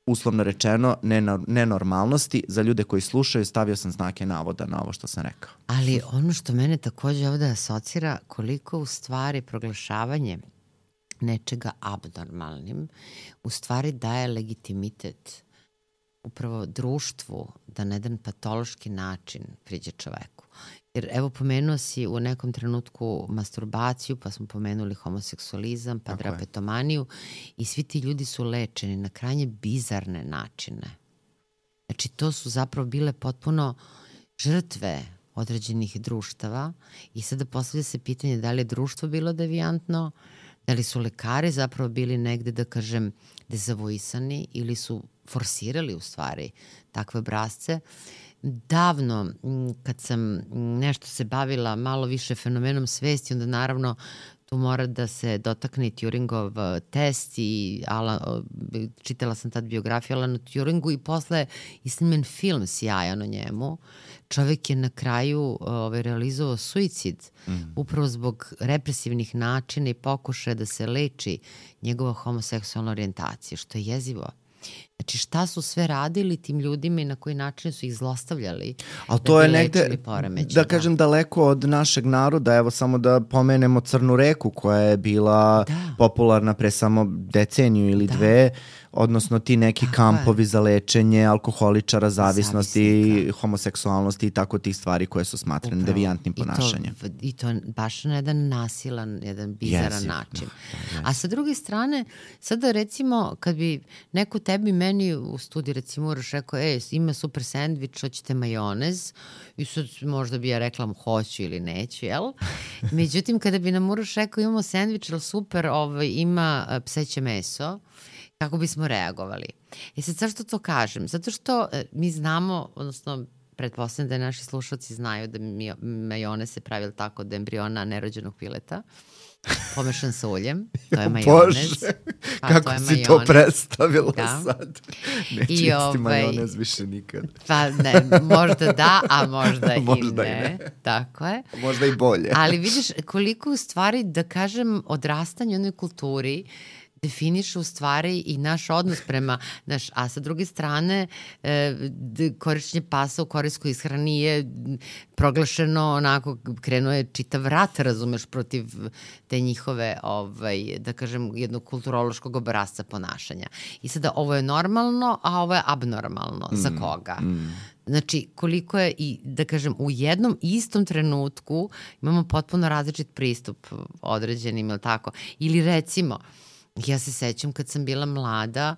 uslovno rečeno, nenormalnosti. Za ljude koji slušaju stavio sam znake navoda na ovo što sam rekao. Ali ono što mene takođe ovde asocira, koliko u stvari proglašavanje nečega abnormalnim u stvari daje legitimitet upravo društvu da na jedan patološki način priđe čoveku. Jer evo pomenuo si u nekom trenutku masturbaciju, pa smo pomenuli homoseksualizam, pa drapetomaniju i svi ti ljudi su lečeni na krajnje bizarne načine. Znači to su zapravo bile potpuno žrtve određenih društava i sada postavlja se pitanje da li je društvo bilo devijantno, Da li su lekari zapravo bili negde, da kažem, dezavuisani ili su forsirali u stvari takve obrazce? Davno, kad sam nešto se bavila malo više fenomenom svesti, onda naravno tu mora da se dotakne Turingov test i Alan, čitala sam tad biografiju Alanu Turingu i posle i snimen film sjajan o njemu. Čovek je na kraju ovaj, realizovao suicid mm. upravo zbog represivnih načina i pokušaja da se leči njegova homoseksualna orijentacija, što je jezivo. Znači šta su sve radili tim ljudima i na koji način su ih zlostavljali. Ali to je negde, da, da kažem, daleko od našeg naroda. Evo samo da pomenemo Crnu reku koja je bila da. popularna pre samo deceniju ili da. dve, odnosno ti neki tako kampovi je. za lečenje alkoholičara, zavisnosti, Zavisnika. homoseksualnosti i tako tih stvari koje su smatrane Upravo. devijantnim ponašanjem. I to, I to baš na jedan nasilan, jedan bizaran Jezik. način. Da, da, A sa druge strane, sada recimo kad bi neko tebi meni u studiju recimo Uroš rekao, e, ima super sendvič, hoćete majonez, i sad možda bi ja rekla hoću ili neću, jel? Međutim, kada bi nam Uroš rekao imamo sendvič, ali super, ovaj, ima pseće meso, kako bismo reagovali? I sad zašto to kažem? Zato što mi znamo, odnosno pretpostavljam da naši slušalci znaju da mi, majonez se pravi tako od embriona nerođenog pileta, pomešan sa uljem, to je majonez. Bože, pa, kako to si majonez. to predstavila da. sad? Neću I isti ovaj, majonez više nikad. Pa ne, možda da, a možda, možda i, ne. i ne. Tako je. Možda i bolje. Ali vidiš koliko u stvari, da kažem, odrastanje u onoj kulturi definiše u stvari i naš odnos prema, naš, a sa druge strane e, korišćenje pasa u korejskoj ishrani je proglašeno onako, krenuo je čitav rat, razumeš, protiv te njihove, ovaj, da kažem, jednog kulturološkog obrasca ponašanja. I sada ovo je normalno, a ovo je abnormalno. Mm, Za koga? Mm. Znači, koliko je i, da kažem, u jednom istom trenutku imamo potpuno različit pristup određenim, ili tako? Ili recimo, ja se sećam kad sam bila mlada,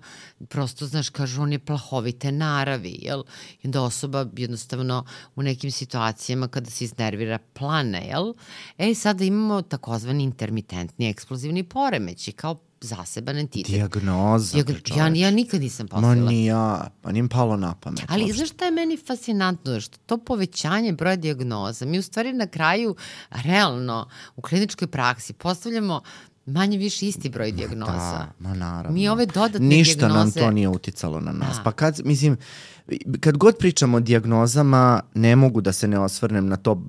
prosto, znaš, kažu, on je plahovite naravi, jel? I onda osoba jednostavno u nekim situacijama kada se iznervira plane, jel? E, sada imamo takozvani intermitentni eksplozivni poremeći, kao zaseban entitet. Dijagnoza, Diag... ja, ja nikad nisam postavila. Ma ni ja, pa nim palo na pamet. Ali uopšte. Znaš šta je meni fascinantno? Što to povećanje broja dijagnoza, mi u stvari na kraju, realno, u kliničkoj praksi postavljamo manje više isti broj dijagnoza. Da, ma naravno. Mi ove dodatne Ništa dijagnoze... Ništa nam to nije uticalo na nas. Da. Pa kad, mislim, kad god pričamo o dijagnozama, ne mogu da se ne osvrnem na to uh,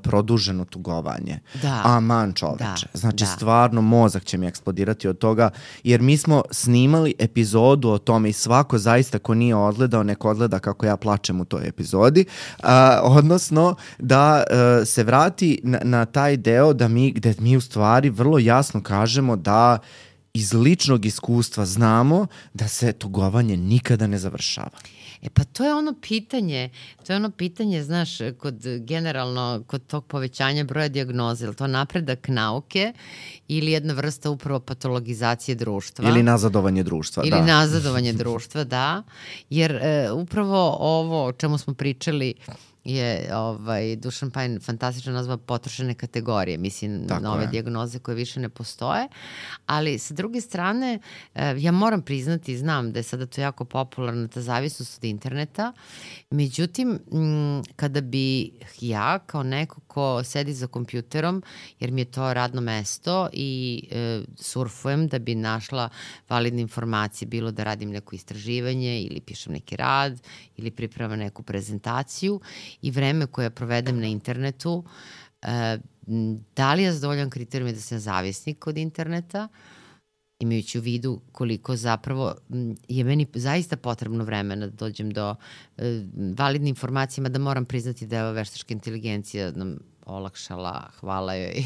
produženo tugovanje. Da. Aman čoveče. Da. Znači, da. stvarno mozak će mi eksplodirati od toga, jer mi smo snimali epizodu o tome i svako zaista ko nije odgledao, neko odgleda kako ja plačem u toj epizodi, uh, odnosno da uh, se vrati na, na taj deo da mi, gde mi u stvari vrlo jasno kažemo da iz ličnog iskustva znamo da se tugovanje nikada ne završava. E pa to je ono pitanje, to je ono pitanje, znaš, kod generalno, kod tog povećanja broja dijagnoze, ili to napredak nauke ili jedna vrsta upravo patologizacije društva. Ili nazadovanje društva, ili da. Ili nazadovanje društva, da. Jer e, upravo ovo o čemu smo pričali je ovaj, Dušan Pajin fantastično nazva potrošene kategorije, mislim, tako nove je. dijagnoze koje više ne postoje, ali sa druge strane, ja moram priznati, znam da je sada to jako popularna ta zavisnost od interneta, međutim, kada bi ja kao neko ko sedi za kompjuterom, jer mi je to radno mesto i e, surfujem da bi našla validne informacije, bilo da radim neko istraživanje ili pišem neki rad ili pripremam neku prezentaciju, i vreme koje provedem na internetu, da li je zadovoljan kriterijum da sam zavisnik od interneta, imajući u vidu koliko zapravo je meni zaista potrebno vremena da dođem do validne informacije, da moram priznati da je veštačka inteligencija nam olakšala, hvala joj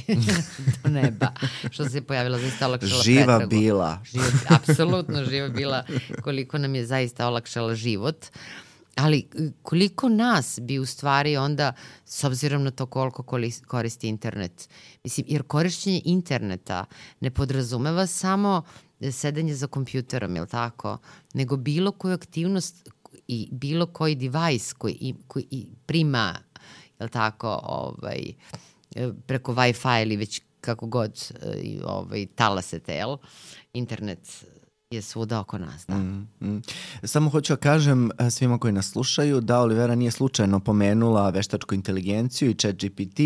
do neba, što se je pojavila, zaista olakšala živa pretragu. Bila. Živa, apsolutno živa bila, koliko nam je zaista olakšala život. Ali koliko nas bi u stvari onda, s obzirom na to koliko koristi internet, mislim, jer korišćenje interneta ne podrazumeva samo sedenje za kompjuterom, jel tako, nego bilo koju aktivnost i bilo koji device koji, koji prima, jel tako, ovaj, preko Wi-Fi ili već kako god i, ovaj, talasete, jel? Internet je svuda oko nas, da. Mm, mm. Samo hoću da kažem svima koji nas slušaju da Olivera nije slučajno pomenula veštačku inteligenciju i ChatGPT.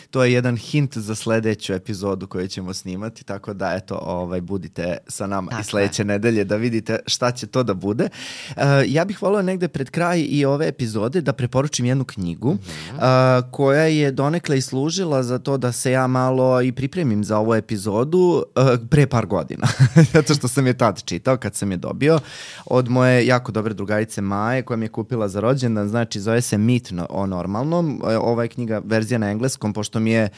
To je jedan hint za sledeću epizodu koju ćemo snimati, tako da eto, ovaj, budite sa nama tako i sledeće je. nedelje da vidite šta će to da bude. Uh, ja bih volio negde pred kraj i ove epizode da preporučim jednu knjigu mm-hmm. uh, koja je donekle i služila za to da se ja malo i pripremim za ovu epizodu uh, pre par godina, zato što sam je tad čitao kad sam je dobio od moje jako dobre drugarice Maje koja mi je kupila za rođendan, znači zove se Mit o normalnom. Ova je knjiga verzija na engleskom, pošto mi je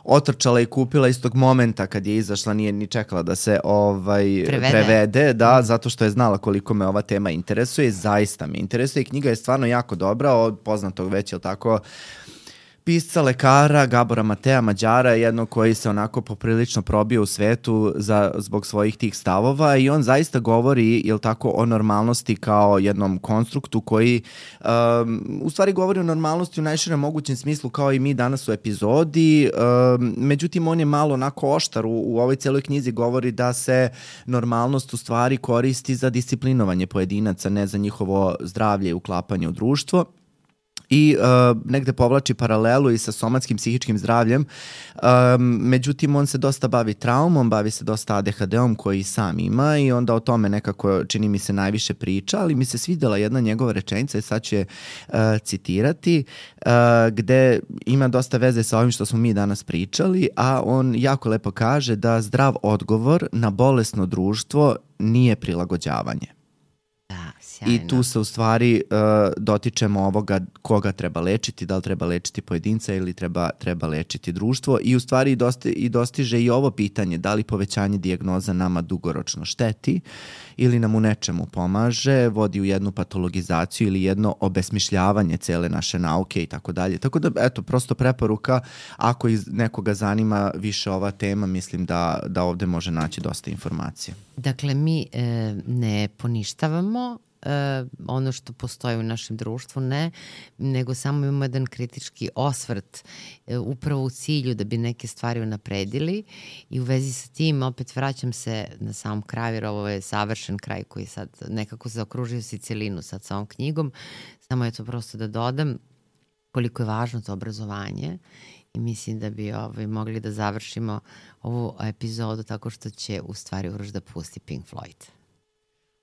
otrčala i kupila istog momenta kad je izašla, nije ni čekala da se ovaj prevede. prevede, da, zato što je znala koliko me ova tema interesuje, zaista me interesuje i knjiga je stvarno jako dobra od poznatog već, je li tako, pisca, lekara Gabora Matea Mađara, jednog koji se onako poprilično probio u svetu za, zbog svojih tih stavova i on zaista govori, jel tako, o normalnosti kao jednom konstruktu koji um, u stvari govori o normalnosti u najširem mogućem smislu kao i mi danas u epizodi, um, međutim on je malo onako oštar u, u ovoj celoj knjizi, govori da se normalnost u stvari koristi za disciplinovanje pojedinaca, ne za njihovo zdravlje i uklapanje u društvo. I uh, negde povlači paralelu i sa somatskim psihičkim zdravljem. Um, međutim, on se dosta bavi traumom, bavi se dosta A D H D-om koji sam ima i onda o tome nekako čini mi se najviše priča, ali mi se svidela jedna njegova rečenica i sad ću je uh, citirati, uh, gde ima dosta veze sa ovim što smo mi danas pričali, a on jako lepo kaže da zdrav odgovor na bolesno društvo nije prilagođavanje. I tu se u stvari uh, dotičemo ovoga koga treba lečiti, da li treba lečiti pojedinca ili treba, treba lečiti društvo i u stvari dosti, i dostiže i ovo pitanje da li povećanje dijagnoza nama dugoročno šteti ili nam u nečemu pomaže, vodi u jednu patologizaciju ili jedno obesmišljavanje cele naše nauke i tako dalje. Tako da, eto, prosto preporuka, ako iz nekoga zanima više ova tema, mislim da, da ovde može naći dosta informacije. Dakle, mi e, ne poništavamo Uh, ono što postoji u našem društvu, ne, nego samo imamo jedan kritički osvrt uh, upravo u cilju da bi neke stvari unapredili i u vezi sa tim opet vraćam se na samom kraju, jer ovo je savršen kraj koji sad nekako zaokružio si celinu sad sa ovom knjigom, samo je to prosto da dodam koliko je važno to obrazovanje i mislim da bi ovaj, mogli da završimo ovu epizodu tako što će u stvari Uroš da pusti Pink Floyd.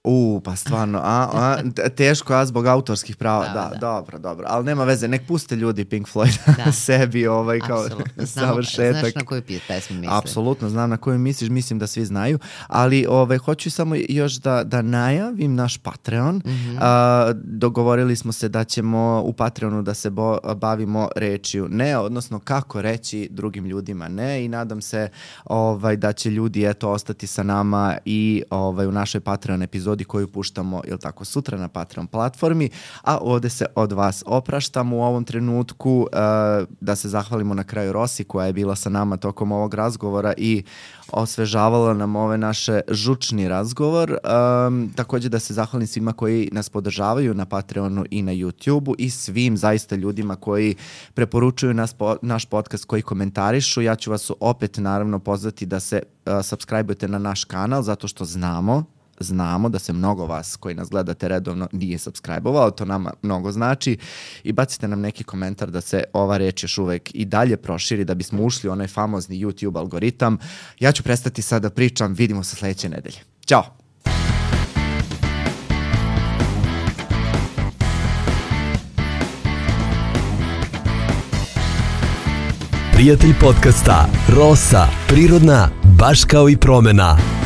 U, pa stvarno, a, a, teško, a zbog autorskih prava, da, da, da, dobro, dobro, ali nema veze, nek puste ljudi Pink Floyd da. sebi ovaj kao završetak. Znaš na koju pesmu mislim? Apsolutno, znam na koju misliš, mislim da svi znaju, ali ovaj, hoću samo još da, da najavim naš Patreon. Mm-hmm. A, dogovorili smo se da ćemo u Patreonu da se bo, bavimo rečju ne, odnosno kako reći drugim ljudima ne i nadam se ovaj, da će ljudi eto ostati sa nama i ovaj, u našoj Patreon epizodi koju puštamo, jel tako, sutra na Patreon platformi, a ovde se od vas opraštamo u ovom trenutku, uh, da se zahvalimo na kraju Rosi koja je bila sa nama tokom ovog razgovora i osvežavala nam ove naše žučni razgovor. Um, takođe da se zahvalim svima koji nas podržavaju na Patreonu i na YouTubeu i svim zaista ljudima koji preporučuju nas, po, naš podcast, koji komentarišu. Ja ću vas opet naravno pozvati da se uh, subscribe-ujete na naš kanal zato što znamo Znamo da se mnogo vas koji nas gledate redovno nije subscribe-ovalo, to nama mnogo znači i bacite nam neki komentar da se ova reč još uvek i dalje proširi da bismo ušli u onaj famozni YouTube algoritam. Ja ću prestati sad da pričam, vidimo se sledeće nedelje. Ćao! Prijatelj podcasta Rosa, prirodna, baš kao i promena.